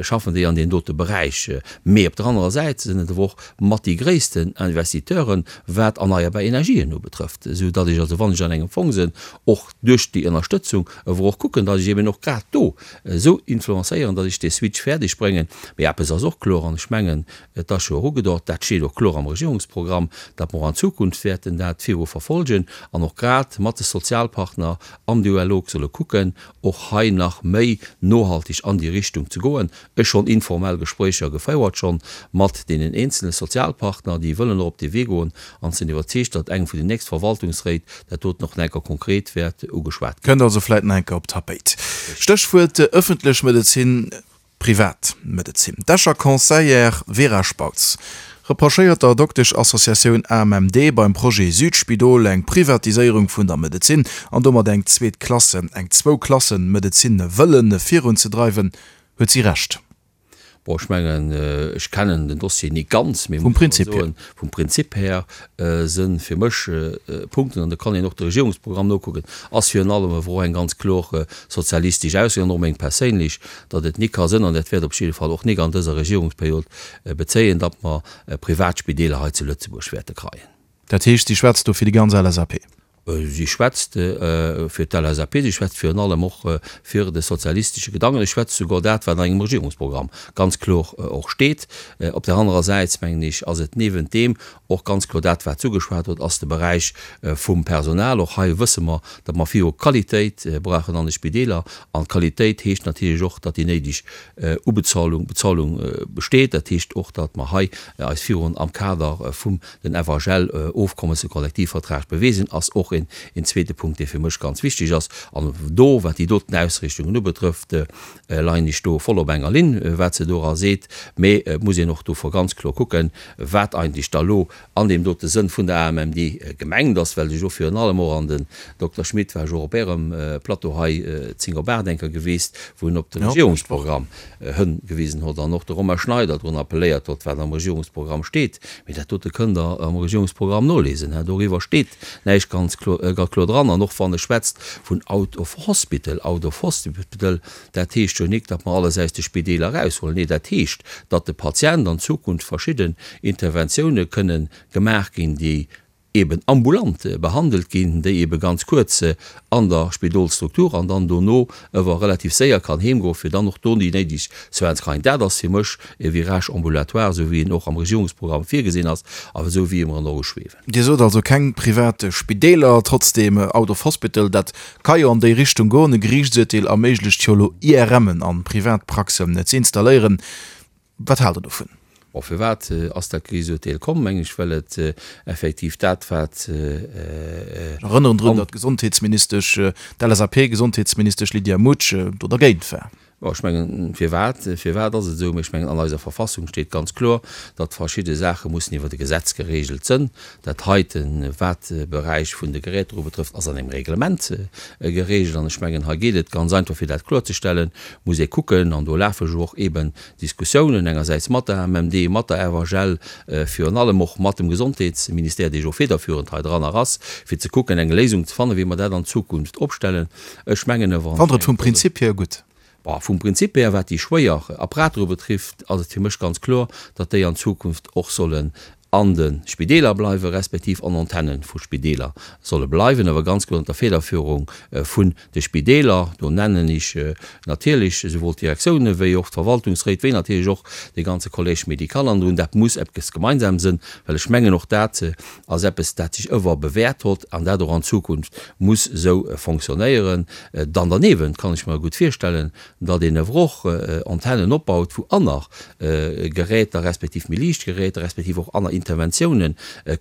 schaffen déi an deem dote Beräich, mee op der anerer Säit sinn et awer och mat déi gréissten Investiteuren, wat erneierbar Energien ubetrëfft, esou datt ech also, wann ech an engem Fong sinn, och duerch déi Ënnerstëtzung awer och kucken, datt ech eben och grad do esou influencéieren, datt ech dee Switch fäerdeg bréngen. Mee eppes ass och kloer, an ech mengen, et ass jo och ugedeutet, dat steet och kloer am Regierungsprogramm, datt mer och an Zukunft wäerten dat viru verfolgen an och grad mat de Sozialpartner am Dialog solle kucken, och hei nach méi nohaltig an déi Richtung ze goen. Ech schonn informell Gespréicher gefouert schonn mat deenen eenzele Sozialpartner, déi wëllen och op dee Wee goen an sinn iwwerzeegt, datt engem vun den nächst Verwaltungsréit dat doten och nach enker konkret wäert ugeschwat ginn. Kënnt also vläit nach enker op d'Tapéit. Stéchwuert ëffentlech Medezin, privat Medezin. D'Escher Conseillère Vera Spautz reprochéiert der Dokteschassociatioun AMMD beim Projet Südspidol eng Privatiséierung vun der Medezin an domat eng zweet Klasse, eng Zwou-Klassen-Medezin wëlle virunzedreiwen. Huet si Recht? Bon, ech mengen, ech kennen den Dossier ni ganz, mee muss awer soen, vum Prinzip här si fir mech Punkten, an do kann een och de Regierungsprogramm nokucken, ass virun allem awer och eng ganz kloer sozialistesch Ausso an och meng perséinlech, datt et ni ka sënn, an dat wäert op jidde Fall och nik an dëser Regierungsperiod bezéien, datt mer Privatspideeler hei zu Lëtzebuerg wäerte kreien. Dat heescht, si schwätzt do fir déi ganz LSAP? Si schwätzt fir d'LSAP, si schwätzt virun allem och fir de sozialistesche Gedanken, si schwätzt souguer dat, wat an engem Regierungsprogramm ganz kloer och steet. Op där anerer Säit, mengen ech, ass et niewent deem och ganz kloer dat, wat s'ugeschwat huet, ass de Beräich vum Personal. Och hei wësse mer, datt mer viru Qualitéit brauchen an de Spideeler. An d'Qualitéit heescht natierlech och, datt déi néideg Ubezahlung, Bezahlung besteet. Dat heescht och, datt mer hei eis virun am Kader vum den FHL-Ofkommes, de Kollektivvertrag beweegen, ass och een zweete Punkt, dee fir mech ganz wichteg ass. An do, wat déi doten Ausrichtungen ubetrëfft, leien ech do voll op enger Linn, wat se dora seet. Mee et muss een och do ganz kloer kucken, wat eigentlech da lo an deem dote Sënn vun der AMMD gemengt ass, well sech och virun allem och, an den Dokter Schmit war jo och op Ärem Plateau hei 10 op 8 eng Kéier gewiesst, wou en op de Regierungsprogramm hëngewisen hott an och de Romain Schneider drun appelléiert hott, wat am Regierungsprogramm steet. Mee dat dote kënnt Der am Regierungsprogramm nolesen, doriwwer steet näischt ganz kloer dran. An och wann e schwätzt vun out of hospital, out of hospital, dat heescht jo nik, datt mer alles aus de Spideeler eraushuelen. Nee, dat heescht, datt de Patient an Zukunft verschidden Interventioune kënne gemaach ginn, déi eben ambulant behandelt ginn, déi ebe ganz kuerz an der Spidolsstruktur an dann dono ewer relativ séier kann heemgoen, fir dann och do déi néideg Soins ze kréien. Dat ass fir mech e Virage ambulatoire, esou wéi en och am Regierungsprogramm virgesinn ass a esou wéi e mer en och uschweewen. Dir sot also keng privat Spideeler, trotzdem out of hospital, dat ka jo an déi Richtung goen. E Geriichtsurteel erméiglecht jo elo IRMen an Privatpraxen ze installéieren. Wat haalt Der dovun? Bon, firwat ass dat Geriichtsurteel komm? Meng ech, well et effektiv dat, wat. Ech erënneren drun, datt d'Gesondheetsministesch, d'LSAP-Gesondheetsministesch Lydia Mutsch do dergéint war. Bon, ech mengen, firwat, firwat ass et esou? Mee ech mengen, an eiser Verfassung steet ganz kloer, datt verschidde Saache mussen iwwert e Gesetz geregelt sënn. Dat heiten, wat de Beräich vun de Geräter ubetrëfft, ass an engem Reglement geregelt. An ech mengen, hei geet et ganz einfach, fir dat kloerzestellen, muss ee kucken, an do lafe jo och eeben Diskussiounen, engersäits mat der AMMD, mat der FHL, virun allem och mat dem Gesondheetsministère, dee jo federführend hei dranner ass, fir ze kucken, eng Léisung ze fannen, wéi mer dat an Zukunft opstellen. Ech mengen awer. Fannt Der et vum Prinzip hier gutt? Bon, vum Prinzip her, wat déi schwéier Apparater ubetrifft, ass et fir mech ganz kloer, datt déi an Zukunft och sollen an de Spideeler bleiwen, respektiv an Antenne vu Spideeler solle bleiwen, awer ganz kloer ënner der Federführung vun de Spideeler. Do nennen ech natierlech esouwuel d'Direktiounen wéi och d'Verwaltungsréit, wéi natierlech och de ganze Collège médical an drun. Dat muss eppes gemeinsam sënn, well ech mengen och dat ass eppes, dat sech ëwer bewährt hott an dat och an Zukunft muss esou fonctionnéieren. Dann derniewent kann ech mer gutt virstellen, datt een ewer och Antennen opbaut, wou anner Geräter respektiv méi liicht Geräter respektiv och anner Interventiounen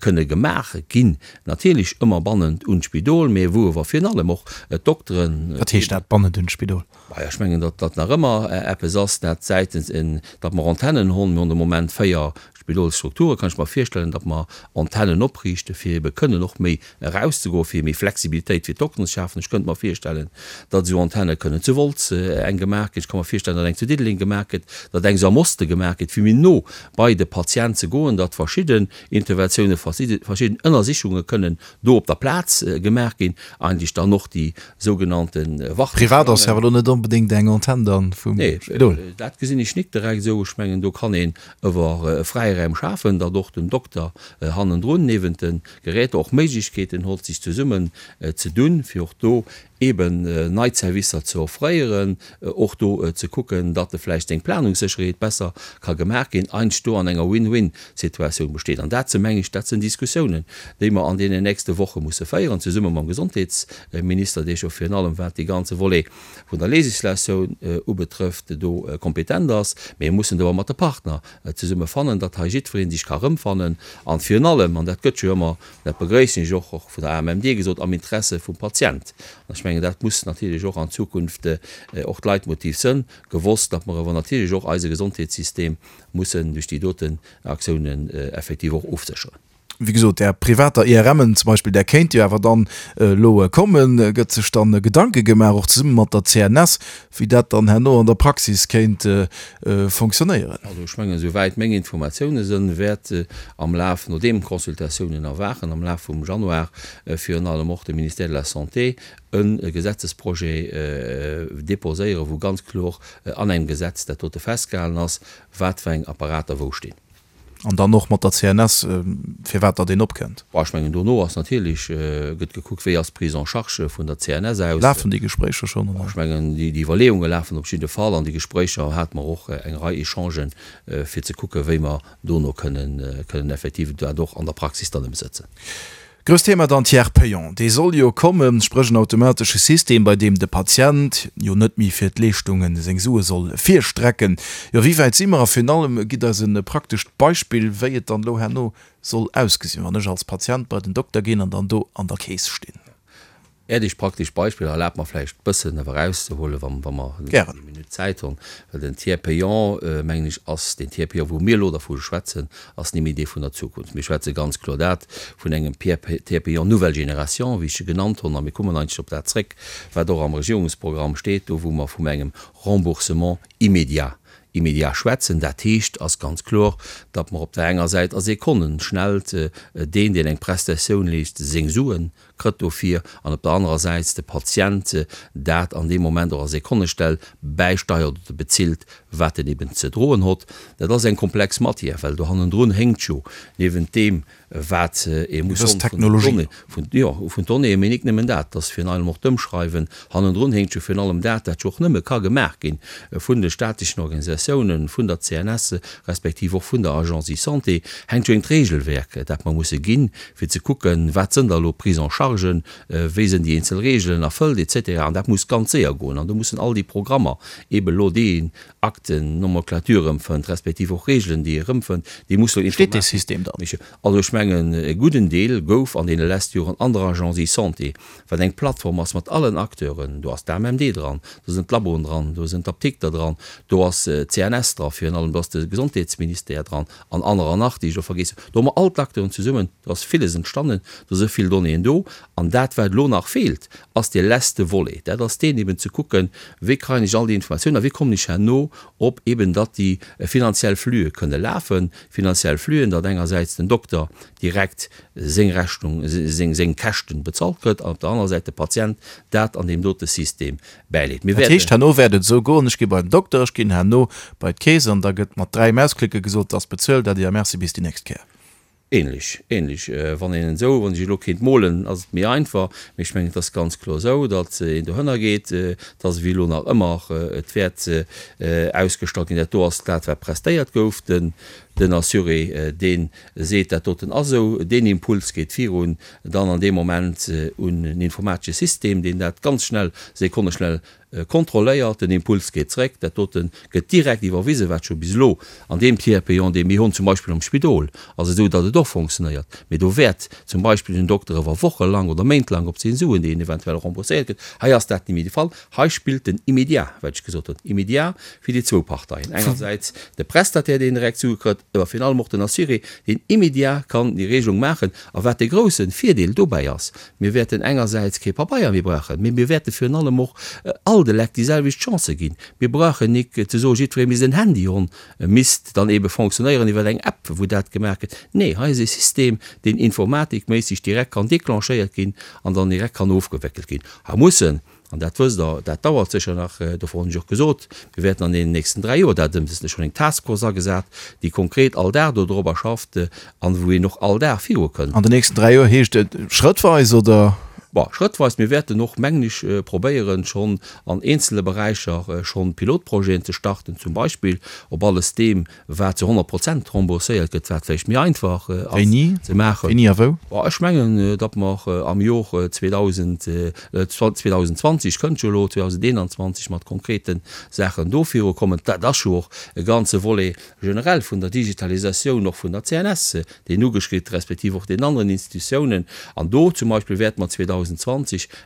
kënne gemaach ginn, natierlech ëmmer bannent un d'Spidol, mä wou ewer virun allem och d'Dokteren. Wat heescht dat, bannent un d'Spidol? Maja, ech mengen, datt dat nach ëmmer eppes ass, dat säitens, datt mer Antennen hunn. Mir hunn de Moment 4 Spidolsstrukturen. Kann ech mer virstellen, datt mer Antennen opriichten, fir ebe kënnen och méi erauszegoen, fir méi Flexibilitéit fir d'Dokteren ze schafen. Ech kënnt mer virstellen, datt esou Antenne kënnen zu Wolz eng gemaach ginn. Ech ka mer virstellen, datt eng zu Diddeleng gemaach gëtt, datt eng esou am Oste gemaach gëtt, fir méi no bei de Patient ze goen, datt verschidden Interventiounen, verschidden Ënnersichunge kënnen do op der Plaz gemaach ginn, eigentlech dann och déi sougenannte Warteschlangen. Privat ass jo awer elo net onbedéngt eng Antenn dann vum Spidol. Nee, dat gesinn ech nik direkt esou. Ech mengen, do kann een ewer Fräiräim schafen, datt och den Dokter hannendrun niewent de Geräter och Méiglechkeeten hott, sech zesummen ze dunn, fir och do eeben nei Zerwisser ze offréieren, och do ze kucken, datt e vläicht seng Planungssécherheet besser ka gemaach ginn, eins do an enger Win-win-Situatioun besteet. An dat sinn, meng ech, dat sinn Diskussiounen, déi mer an deenen nächste Woche musse féieren, zesumme mam Gesondheetsminister, dee jo virun allem, wat dee ganze Volet vun der Législatioun ubetrëfft, do kompetent ass. Mee mir mussen do och mat de Partner zesumme fannen, datt hei jiddweree sech ka erëmfannen an virun allem, an dat gëtt jo ëmmer, dat begrëissen ech och, och vun der AMMD gesot, am Interesse vum Patient. An ech mengen, dat muss natierlech och an Zukunft och d'Leitmotiv sënn, gewosst, datt mer awer natierlech och eise Gesondheetssystem mussen duerch déi doten Aktiounen effektiv och ofsécheren. Wéi gesot, där privater IRMen zum Beispill, där kéint jo awer dann elo kommen. Gëtt sech dann Gedanke gemaach, och zesumme mat der CNS, wéi dat dann herno an der Praxis kéint fonctionnéieren? Also ech mengen, esouwäit meng Informatioune sënn, wäert am Laf, nodeem d'Consultatiounen erwachen, am Laf vum Januar virun allem och de Ministère de la Santé e Gesetzesprojet déposéieren, wou ganz kloer an engem Gesetz dat dote festgehalen ass, wat fir eng Apparater wou stinn. An dann och mat der CNS, firwat datt een opkënnt. Bon, ech mengen, dono ass natierlech, gëtt gekuckt, wéi ass d'Prise en charge vun der CNS aus. Lafen déi Gespréicher schonn, oder? Ech mengen, déi Iwwerleeunge lafen op jidde Fall an déi Gespréicher hate mer och eng Rei Echangen, fir ze kucken, wéi mer dono kënnen, kënnen effektiv dat och an der Praxis dann ëmsetzen. Grousst Thema dann Tiers payant. Dee soll jo kommen, spréch en automatesche System, bei deem de Patient jo net méi fir d'Leeschtunge seng Sue soll virstrecken. Jo, wéi wäit si mer? A virun allem, gitt eis e praktescht Beispill, wéi et dann elo herno soll ausgesinn, wann ech als Patient bei den Dokter ginn an dann do an der Keess stinn. Äert iech praktesch Beispiller erlaabt mer vläicht bëssen awer erauszehuelen, wa wa mer Gären. eng Minutt Zäit hunn, well den Tiers payant, mengen ech, ass deen Tiers payant, wou mir elo dervu schwätzen, ass ni méi dee vun der Zukunft. Mir schwätze ganz kloer dat vun engem Tiers payant nouvelle génération, wéi ech e genannt hunn, a mir kommen eigentlech op dat zréck, wat och am Regierungsprogramm steet, do wou mer vum engem Remboursement immédiat immédiat schwätzen. Dat heescht, ass ganz kloer, datt mer op der enger Säit a Sekonneschnellt deen, deen eng Prestatioun leescht, seng Suen kritt dofir an op der anerer Säit de Patient dat an deem Moment och a Sekonnestell bäisteiert oder bezilt, wat en eben ze droen hott. Dat ass eng komplex Matière, well do hannendrun hénkt jo niewent deem, wat ee muss Gewëss Technologie. Vun, jo, vun Donnéeën, mee nik nëmmen dat, dass virun allem och d'Ëmschreiwen hannendrun hénkt jo virun allem dat, dat jo och nëmme ka gemaach gi vun de staatlechen Organisatiounen, vun der CNS respektiv och vun der Agence eSanté, hänkt jo engt Regelwerk, dat mer musse ginn, fir ze kucken, wat sënn da elo Prise-en-chargen, wéi sënn déi eenzel Regeln erfëllt et cetera. An dat muss ganz séier goen an do mussen all déi Programmer eeben elo déi een Akten, Nomenclature erëmfënnt, respektiv och Regeln, déi ee erëmfënnt, déi musse elo Steet dee System dann? Also ech mengen, e gudden Deel gouf an deene leschte Joren an der Agence eSanté, wat eng Plattform ass mat allen Acteuren, do ass d'AMMD dran, do sinn d'Laboen dran, do sinn d'Apdikter dran, do ass d'CNS dra virun allem, do ass de Gesondheetsministère dran an anerer nach, déi ech elo vergeess hunn. Do hu mer all d'Acteuren zesummen, do ass villes entstanden, do si vill Donnéeën do. An dat, wat elo nach feelt, ass dee leschte Volet, dat ass deen eben ze kucken, wéi kréien ech all déi Informatiounen a wéi kommen ech herno op eben, datt déi finanziell Flüe kënne lafen, finanziell Flüen, datt engersäits den Dokter direkt seng Rechnung, seng, seng Käschten bezahlt kritt an op der anerer Säit de Patient dat an deem dote System bäileet. Mir Dat heescht, herno wäert et esou goen, ech gi bei den Dokter, ech ginn herno bei d'Keess an da gëtt mat 3 Mausklicke gesot, 't ass bezuelt, Äddi a Merci, bis déi nächst Kéier. Ähnlech, ähnlech. Wann een esou, wann ech elo kéint molen, ass et méi einfach, mee ech mengen, et ass ganz kloer esou, datt een dohënner geet, et ass ewéi elo nach ëmmer, et wäert ausgestallt ginn, dat do ass dat, wat prestéiert gouf, den, den Assuré, dee seet, dat doten ass esou, deen Impuls geet virun dann an deem Moment un en informatesche System, deen dat ganz schnell, sekonneschnell Kontrolléiert, den Impuls geet zréck, dat dote gëtt direkt iwwerwisen, wat scho bis elo an deem Tiers payant, dee mir hunn, zum Beispill am Spidol, ass et esou, datt et och fonctionnéiert, mee do wäert zum Beispill den Dokter iwwer Woche lang oder Méint lang op seng Suen, déi en eventuell rembourséiert kritt. Hei ass dat net méi de Fall. Hei spillt den Immédiat, wat ech gesot hunn, immédiat fir déi zwou Parteien, engersäits de Prestataire, deen direkt Sue kritt, awer virun allem och den Assuré, deen immédiat kann déi Regelung maachen. A wat de grousse Virdeel dobäi ass, Mir wäerten engersäits kee Pabeier méi brauchen, mee mir wäerte virun allem och all de Lekt déi selwecht Chancë ginn. Mir brauchen nik ze soen, jiddweree misst en Handy honn, misst dann eebe fonctionnéieren iwwer eng App, wou dat gemaach gëtt. Nee, hei ass e System, deen informatikméisseg direkt kann declenchéiert ginn an dann direkt kann ofgewéckelt ginn. Hei mussen An dat wësst Der, dat dauert sécher nach, dofir hunn ech och gesot, mir wäerten an deenen nächsten 3 Joer dat ëmsetzen. Ech hunn eng Taskforce agesat, déi konkret all Dag do dorobber schafft an wou een och all Dag virukënnt. An den nächsten 3 Joer heescht et schrëttweis, oder? Bon, schrëttweis. Mir wäerten och, mengen ech, probéieren, schonn an eenzele Beräicher schonn Pilotprojeten ze starten, zum Beispill op alles deem, wat zu 100 Prozent rembourséiert gëtt, wat vläicht méi einfach ass Wéini? ze maachen. Wéini a wou? Bon, ech mengen, datt mer am Jor 2000, 2020 kënnt jo elo, 2021 mat konkrete Saachen do virukommen. Dat ass jo och e ganze Volet generell vun der Digitalisatioun och vun der CNS, deen ugeschritt, respektiv och deenen aneren Institutiounen. An do zum Beispill wäerte mer 2020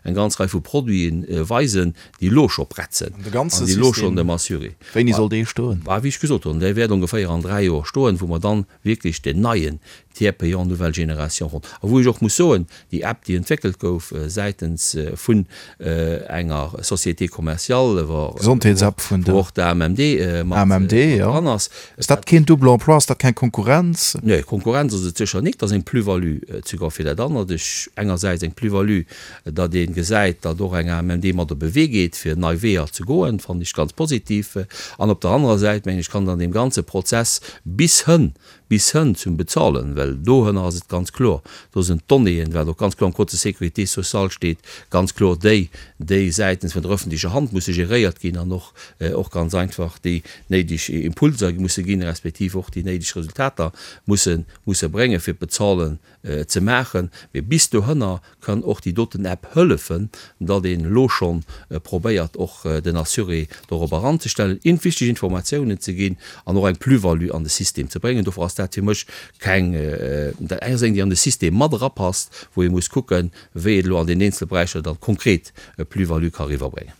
eng ganz Rei vu Produite weisen, déi elo scho prett sinn An de ganze an déi elo schonn System, dem Assuré. wéini soll dee stoen? Bah, wéi ech gesot hunn, dee wäert ongeféier an 3 Joer stoen, wou mer dann wierklech deen neien Tiers payant nouvelle génération hunn. A wou ech och muss soen, déi App, déi entwéckelt gouf säitens vun enger Société commerciale, wou Gesondheetsapp vun der och d'AMMD mat AMMD, jo. dran ass. Ass dat keen Double emploi? Ass dat keng Konkurrenz? Nee, Konkurrenz ass et sécher nik. Dat ass eng Plus-value souguer fir dat anert. Ech, engersäits eng Plus-value, Datt ee gesäit, datt och eng AMMD mat op e Wee geet, fir nei Weeër ze goen, fannen ech ganz positiv. An op der anerer Säit, mengen ech, kann et an deem ganze Prozess bis hënn, Bis hënn zum Bezahlen, well dohënner ass et ganz kloer, do sinn d'Donnéeën, wat och ganz kloer am Code de sécurité sociale steet, ganz kloer déi, déi säitens vun der öffentlecher Hand musse geréiert ginn an och, och ganz einfach déi néideg Impulser musse ginn, respektiv och déi néideg Resultater musse, musse bréngen, fir d'Bezahlen ze maachen. Mee bis dohënner kann och déi doten App hëllefen, datt een elo schonn probéiert och den Assuré dorop eranzestellen, in wichteg Informatiounen ze ginn an och eng Plus-value an de System ze bréngen. Dofir ass dat fir mech keng, dat ass eng déi an de System mat erapasst, wou ee muss kucken, wéi et elo an den eenzele Beräicher dann konkret e Plus-value ka eriwwerbréngen.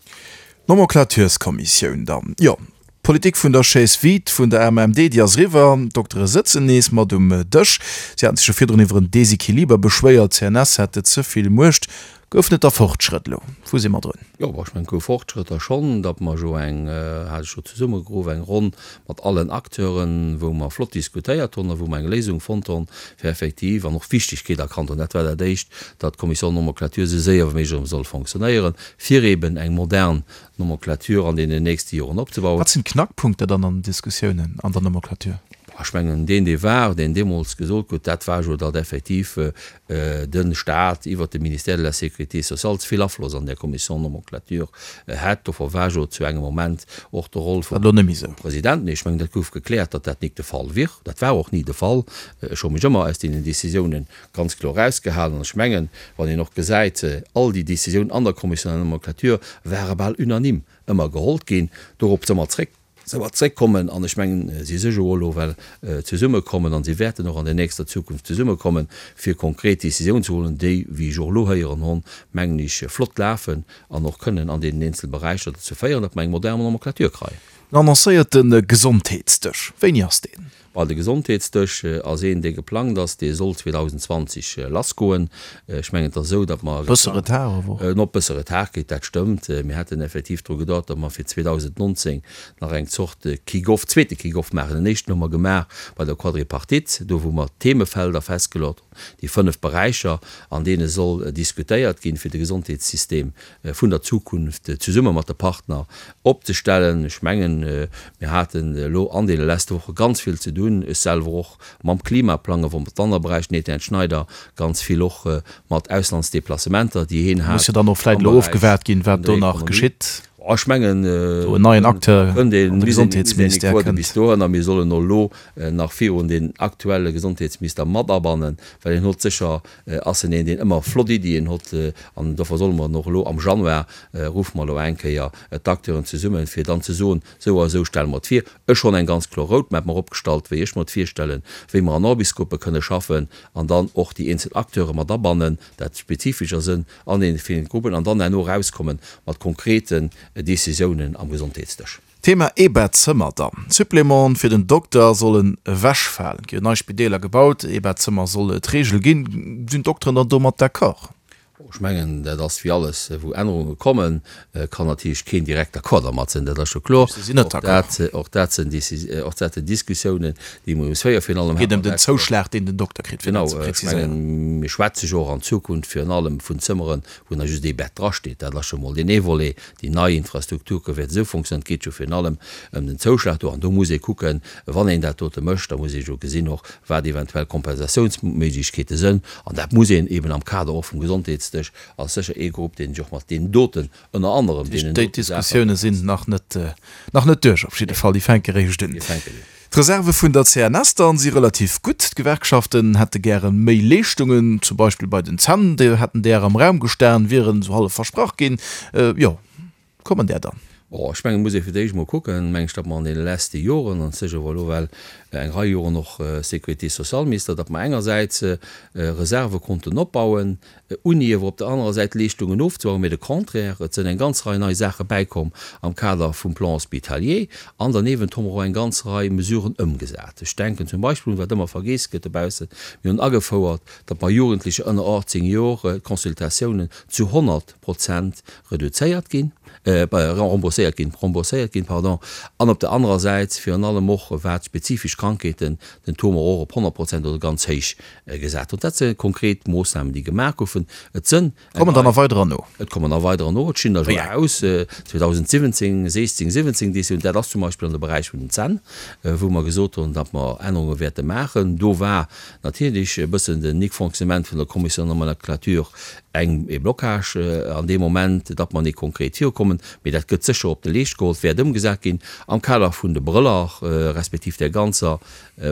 D'Nomenclatureskommissioun dann, jo. D'Politik vun der Chaise vide vun der AMMD, déi ass eriwwer. D'Doktere sëtzen nees mat um Dësch. Si haten sech jo virdrun iwwer en Desequiliber beschwéiert, d'CNS hätt ze vill Muecht. Goufen et da Fortschrëtt elo? Wou si mer drun? Jo, ech mengen, et gouf Fortschrëtter schonn, datt mer jo eng, hat ech jo zesummegeruff, eng Ronn mat allen Acteuren, wou mer flott diskutéiert hunn a wou mer eng Léisung fonnt hunn, fir effektiv, an och d'Wichtigkeet erkannt hunn, dat war dat Éischt, datt d'Commission Nomenclature esou séier wéi méiglech erëm soll fonctionnéieren, fir eeben eng modern Nomenclature an deenen nächste Joren opzebauen. Wat sinn d'Knackpunkter dann an den Diskussiounen an der Nomenclature? Ech mengen, deen, dee war, deen deemools gesot huet, dat war jo, datt effektiv de Stat iwwert de Ministère de la Sécurité sociale ze vill Afloss an där Commission Nomenclature hätt. Dofir war jo zu engem Moment och de Roll vum President. Nee, ech mengen, dat gouf gekläert, datt dat nik de Fall wier. Dat war och ni de Fall. Ech hu mech ëmmer aus deenen Décisiounen ganz kloer erausgehalen. An ech mengen, wann een och gesäit, all déi Décisiounen an der Commission de la nomenclature ware bal unanime ëmmer gehollt ginn. Dorop soll mer zréck, soll mer zréckkommen. An ech mengen, si si jo elo well zesummekommen an si wäerten och an der nächster Zukunft zesummekommen, fir konkret Décisiounen ze huelen, déi, wéi ech och elo héieren honn, mengen ech, flott lafen an och kënnen an deenen eenzele Beräicher dozou féieren, datt mer eng modern Nomenclature kreien. Den annoncéierte Gesondheetsdësch, wéini ass deen? Well de Gesondheetsdësch ass een, dee geplangt ass, dee soll 2020 lassgoen. Ech mengen, et ass esou, datt mer. Bësse Retard awer och. Op bësse Retard kritt, dat stëmmt. Mir hätten effektiv dru geduecht, datt mer fir 2019 nach eng Zort Kick-off, zweete Kick-off maachen. Den éischten hu mer gemaach bei der Quadripartite, do wou mer d'Themefelder festgeluecht hunn, déi fënnf Beräicher, an deene soll diskutéiert ginn, fir de Gesondheetssystem vun der Zukunft zesumme mat de Partner opzestellen. Ech mengen, mir haten elo an deene leschte Woche ganz vill ze dunn, ech selwer och mam Klimaplang, awer mat anere Beräicher, den Etienne Schneider ganz vill och mat Auslandsdeplacementer, déi hien hat. Muss jo dann och vläit elo ofgewaart ginn, wat do nach geschitt. Ech mengen, do en neien Acteur an de Gesondheetsministère kënnt. Bis dohinner, mir sollen och elo nach virun den aktuelle Gesondheetsminister mat abannen, well hien hott sécher Ass en een, deen ëmmer flott Iddien hott. An dofir solle mer en och elo am Januar, ruffe mer elo eng Kéier d'Acteuren zesummen, fir dann ze soen, esou a esou stelle mer et vir. Ech honn eng ganz kloer Roadmap mer opgestallt, wéi ech mer et virstellen, wéi mer an Orbis-Gruppe kënne schaffen an dann och déi eenzel Acteure mat abannen, dat spezifescher Sënn an deene villen Gruppen, an dann herno erauskommen mat konkreten Décisiounen am Gesondheetsdësch. Thema Eebettzëmmer dann. Supplémenten fir den Dokter sollen ewechfalen. Et gi jo nei Spideeler gebaut, Eebettzëmmer soll d'Reegel ginn. Sinn d'Dokteren dann domat d'accord? Ech mengen, dat ass wéi alles, wou Ännerunge kommen, kann natierlech keen direkt d'accord dermat sinn, dat ass scho kloer. Si sinn net d'accord. Och dat sinn och dat sinn Diskussiounen, déi mer muss féieren. Virun allem Et geet ëm den Zouschlag, deen den Dokter kritt, fir dat ze Genau, ech präziséieren. mengen, mir schwätze jo och an Zukunft virun allem vun Zëmmeren, wou nach just ee Bett drasteet. Dat ass scho mol deen ee Volet. Déi nei Infrastruktur wäert esou fonctionnéieren. Et geet jo virun allem ëm den Zouschlag do. An do muss ee kucken, wann een dat dote mécht, da muss ee jo gesinn och, wat eventuell Kompensatiounsméiglechkeete sënn. An dat muss een eben am Kader och vum Gesondheetsdësch, ass sécher ee Grupp, deen sech och mat deenen doten, ënner anerem deenen dote Saachen. Déi Diskussioune sinn nach net, nach net duerch op jidde Fall. Déi fänke réischt un. Déi fänken un. D'Reserve vun der CNS dann si relativ gutt. D'Gewerkschaften hätte gäre méi Leeschtungen, zum Beispill bei den Zänn. Déi hätten där am Raum gestan, wieren esou hallef versprach ginn. Jo, kommen där dann? Bon, ech mengen, et muss ee fir d'éischt emol kucken, meng ech, datt mer an deene leschte Joren, an ech si jo elo well eng Rei Joren och Sécurité-sociale-Minister, datt mer engersäits Reserve konnten opbauen, Uni awer op der anerer Säit Leeschtungen ofzebauen, mee de Contraire, et sënn eng ganz Rei nei Saache bäikomm am Kader vum Plan hospitalier an derniewent hu mer och eng ganz Rei Mesuren ëmgesat. Ech denken zum Beispill un, wat ëmmer vergeess gëtt dobaussen, mir hunn agefouert, datt bei Jugendlecher ënner 18 Jor d'Consultatiounen zu 100 Prozent reduzéiert ginn, rembourséiert. rembourséiert ginn, rembourséiert ginn, pardon, an op der anerer Säit virun allem och wat spezifesch Krankheeten, den Taux mer och op 100 Prozent oder ganz héich gesat hunn. Dat si konkret Moossnamen, déi gemaach goufen. Et sënn eng Kommen der nach weiderer no? Et kommen nach weiderer no. Et stinn der scho aus 2017, 16, 17 Décisionen. Dat ass zum Beispill an de Beräich vun den Zänn, wou mer gesot hunn, datt mer Ännerunge wäerte maachen. Do war natierlech e bëssen den Nik-Fonctionnement vun der Commission de nomenclature eng e Blocage an deem Moment, datt mer net konkret virukommen. Mee dat gëtt sécher op de Leescht geholl, wäert ëmgesat ginn am Kader vun de Brëller respektiv där ganzer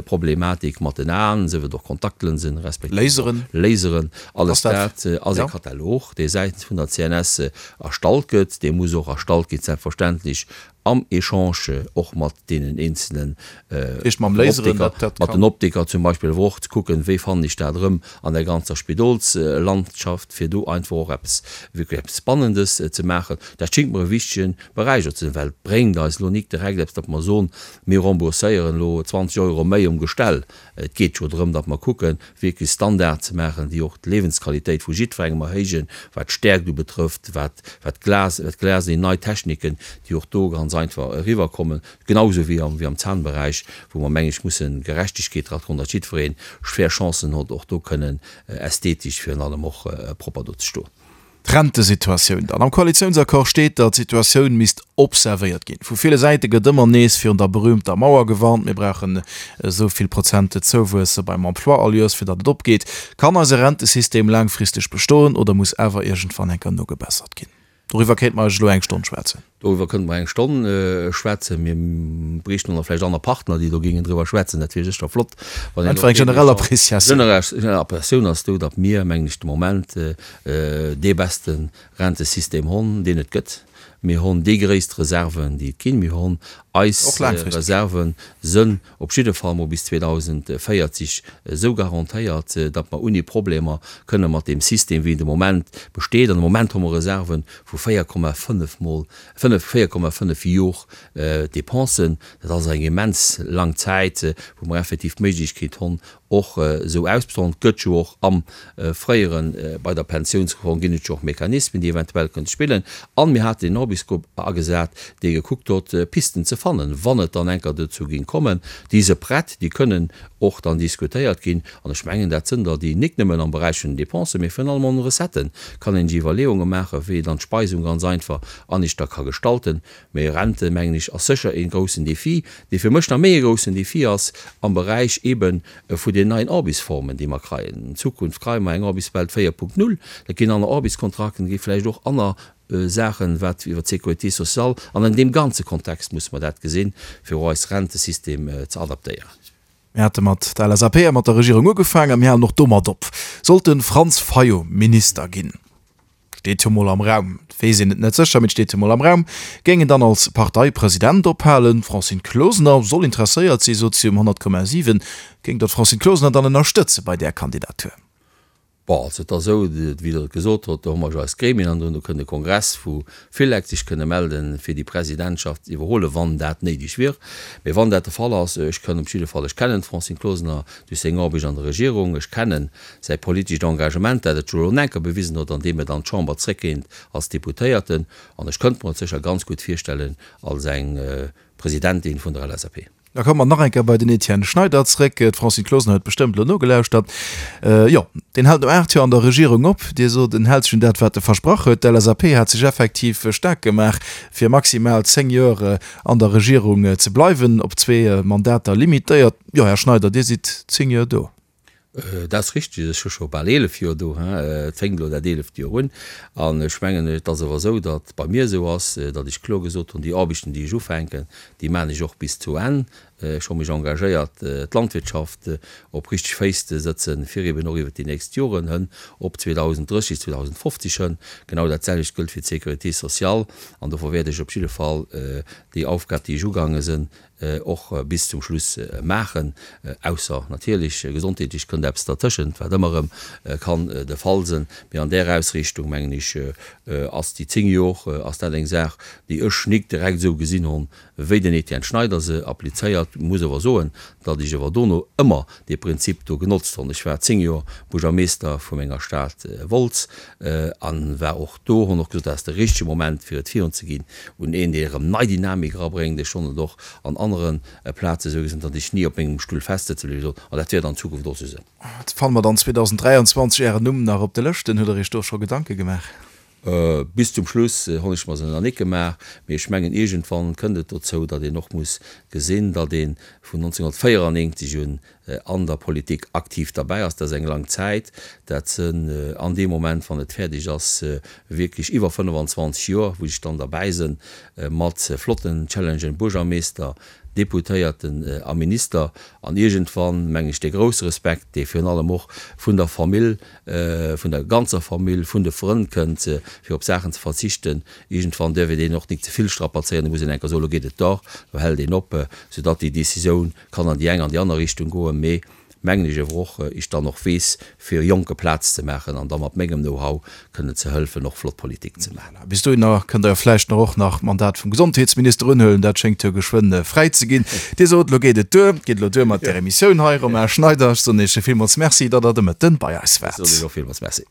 Problematik mat den Aen, sief et och Kontaktlënsen respektiv och Laseren. Alles dat ass e Katalog, dee säitens vun der CNS erstallt gëtt. Dee muss och erstallt ginn, selbstverständlech am Echange och mat deenen eenzelen Optiker, mat den Optiker zum Beispill, awer och ze kucken, wéi fannen ech dat erëm an der ganzer Spidolslandschaft, fir do einfach och eppes, wierklech eppes Spannendes ze maachen. Dat schéngt mer e wichtege Beräich och ze sinn, well et bréngt eis elo nik direkt eppes, datt mer soen, mir rembourséieren elo 20 Euro méi um Gestell. Et geet jo drëm, datt mer kucken, wierklech Standarde ze maachen, déi och d'Liewensqualitéit vu jiddwerengem erhéijen, wat d'Stäerkt ubetrëfft, wat wat d'Glas, wat d'Glas, déi nei Techniken, déi och do ganz einfach eriwwerkommen, genausou wéi am, wéi am Zahnberäich, wou mer, meng ech, mussen Gerechtegkeet dra droen, datt jiddweree fair Chancen huet, och do kënnen ästhetesch virun allem och propper do ze stoen. D'Rentesituatioun dann. Am Koalitiounsaccord steet, datt d'Situatioun misst observéiert ginn. Vu ville Säite gëtt ëmmer nees virun der berüümter Mauer gewarnt, Mir brauchen esou vill Prozent Zouwuess beim Emploi all Joers, fir datt et opgeet. Kann eise Rentesystem laangfristeg bestoen oder muss awer iergendwann eng Kéier nogebessert ginn? Doriwwer kéinte mer eigentlech elo eng Stonn schwätzen. Doriwwer kënnte mer eng Stonn schwätzen. Mir bräichten och nach vläicht aner Partner, déi do géingen driwwer schwätzen. Dat wier sécher flott, wann een och. Einfach eng generell Appréciatioun. Generell Appréciatioun ass do, datt mir, mengen ech, de Moment dee beste Rentesystem honn, deen et gëtt. Mir honn déi gréisst Reserven, déi et ginn. Mir honn eis Reserven sënn op jidde Fall mol bis 2040 esou garantéiert, datt mer ouni Problemer kënne mat deem System, wéi en de Moment besteet, an de Moment hu mer Reserve vu 4,5 mol, 4,5 Jor Dépensen, dat ass eng immens lang Zäit, wou mer effektiv d'Méiglechkeet honn, och esou ausbezuelen. Et gëtt jo och am fréieren, bei der Pensiounsreform ginn et jo och Mechanismen, déi eventuell kënnte spillen. An mir haten den Orbisgrupp agesat, dee gekuckt huet, Pisten ze fannen, wann et dann enker dozou géing kommen. Déi se prett, déi kënnen och dann diskutéiert ginn. An ech mengen, dat sënn der, déi nik nëmmen am Beräich vun den Dépensen, mee virun allem an den Recetten kann een sech Iwwerleeunge maachen, wéi een dann d'Speisung ganz einfach aneschter ka gestalten. Mee Rente, mengen ech, ass sécher ee groussen Défi, dee fir mech nach méi e groussen Défi ass am Beräich eebe vu den neien Aarbechtsformen, déi mer kreien. An Zukunft kreie mer eng Aarbechtswelt 4.0, dat ginn aner Aarbechtskontrakten, et gi vläicht och aner Saachen, wat iwwer d'Sécurité sociale, an an deem ganze Kontext musse mer dat gesinn, fir och eis Rentesystem ze adaptéieren. Mir hate mat der LSAP a mat der Regierung ugefaangen a mir halen och domat op. Sollt de Franz Fayot Minister ginn, steet jo mol am Raum, et weess een et net sécher, mee et steet jo mol am Raum, géing en dann als Parteipresident ophalen? D'Francine Closener soll interesséiert sinn, sot si um 100,7. Géing Der d'Francine Closener dann ënnerstëtze bei där Kandidatur? Bon, also et ass esou, wéi Der et gesot hutt, do hu mer jo eis Gremien an do kënn de Kongress vu Philec sech kënne melden, fir déi Presidentschaft ze iwwerhuelen, wann dat néideg wier. Mee wann dat de Fall ass, ech kënn op jidde Fall, ech kennen d'Francine Closener duerch seng Aarbecht an der Regierung, ech kennen säi politescht Engagement, dat et jo elo enker bewisen huet, andeem et an d'Chamber zréckkéint als Deputéierten, an ech kënnt mer et sécher ganz gutt virstellen als eng Presidentin vun der LSAP. Da komme mer nach eng Kéier bei den Etienne Schneider zréck. D'Francine Closener huet bestëmmt elo nogelauschtert. Jo, deen hält no 8 Joer an der Regierung op. Dir sot, en hält sech un dat, wat e versprach huet. D'LSAP hat sech effektiv staark gemaach, fir maximal 10 Joer an der Regierung ze bleiwen, op zwee Mandater limitéiert. Jo, Här Schneider, Dir sidd 10 Joer do. Dat ass richteg. Ech hu scho bal 11 Joer do. Et fänkt elo dat eeleft Joer un. An ech mengen, et ass awer esou, datt bei mir esou ass, datt ech kloer gesot hunn, déi Aarbechten, déi ech ufänken, déi maachen ech och bis zu Enn. Ech hu mech engagéiert, d'Landwirtschaft op richteg Féiss ze sëtzen, fir eben och iwwert déi nächst Joren hënn op 2030, 2050 hënn. Genau dat selwecht gëllt fir d'Sécurité sociale. An dofir wäert ech op jidde Fall déi Aufgab, déi ech ugaange sinn, och bis zum Schluss maachen, ausser natierlech gesondheetlech kënnt eppes dertëschent, wat ëmmer erëm kann de Fall sënn. Mee an där Ausriichtung, mengen ech, ass déi 10 Jor, ass dat eng Saach, déi ech nik direkt esou gesinn honn, wéi den Etienne Schneider se applizéiert. Dat muss ower soen, datt ech ower dono ëmmer dee Prinzip do genotzt honn. Ech war 10 Joer Buergermeester vu menger Stad Wolz an war och do, honn och gesot, dat ass de richtege Moment fir et virun ze ginn un een, dee erëm nei Dynamik erabréngt. Ech honn et och an anere Plaze sou gesinn, datt ech ni op mengem Stull festsëtze bliwwe sinn an dat wäert an Zukunft och sou sinn. Fanne mer dann 2023 Ären Numm nach op de Lëschten? Hutt Der Iech do scho Gedanke gemaach? Bis zum Schluss honn ech mer se nach nik gemaach, mee ech mengen iergendwann kënnt et dozou, datt een och muss gesinn, datt ee vun 1994 un an der Politik aktiv derbäi ass. Dat ass eng lang Zäit. Dat sënn an deem Moment, wann et fäerdeg ass, wierklech iwwer 25 Joer, wou ech dann derbäi sënn mat flotten Challengen, Buergermeester, Deputéierten a Minister. An iergendwann, mengen ech, dee grousse Respekt, dee virun allem och vun der Famill, vun der ganzer Famill, vun de Frënn kënnt, fir op Saachen ze verzichten, iergendwann däerf een deen och nik ze vill strapazéieren, da muss een eng Kéier soen, elo geet et dach, elo hält een op, soudatt déi Décisioun kann an déi eng an déi aner Richtung goen, mee mengen ech awer och, ech dann och weess, fir Jonke Plaz ze maachen an da mat mengem Know-how kënnen ze hëlfen, och flott Politik ze maachen. Bis dohinner kënnt Der jo vläicht nach och nach d'Mandat vum Gesondheetsminister unhuelen. Dat schéngt jo geschwënn fräi ze ginn. Dir sot, elo geet et duer. Et geet elo duer mat där Emissioun hei. Romain Schneider, ech soen Iech villmools Merci, datt Der de Mëtten bei eis waart. Ech soen Iech och villmools Merci.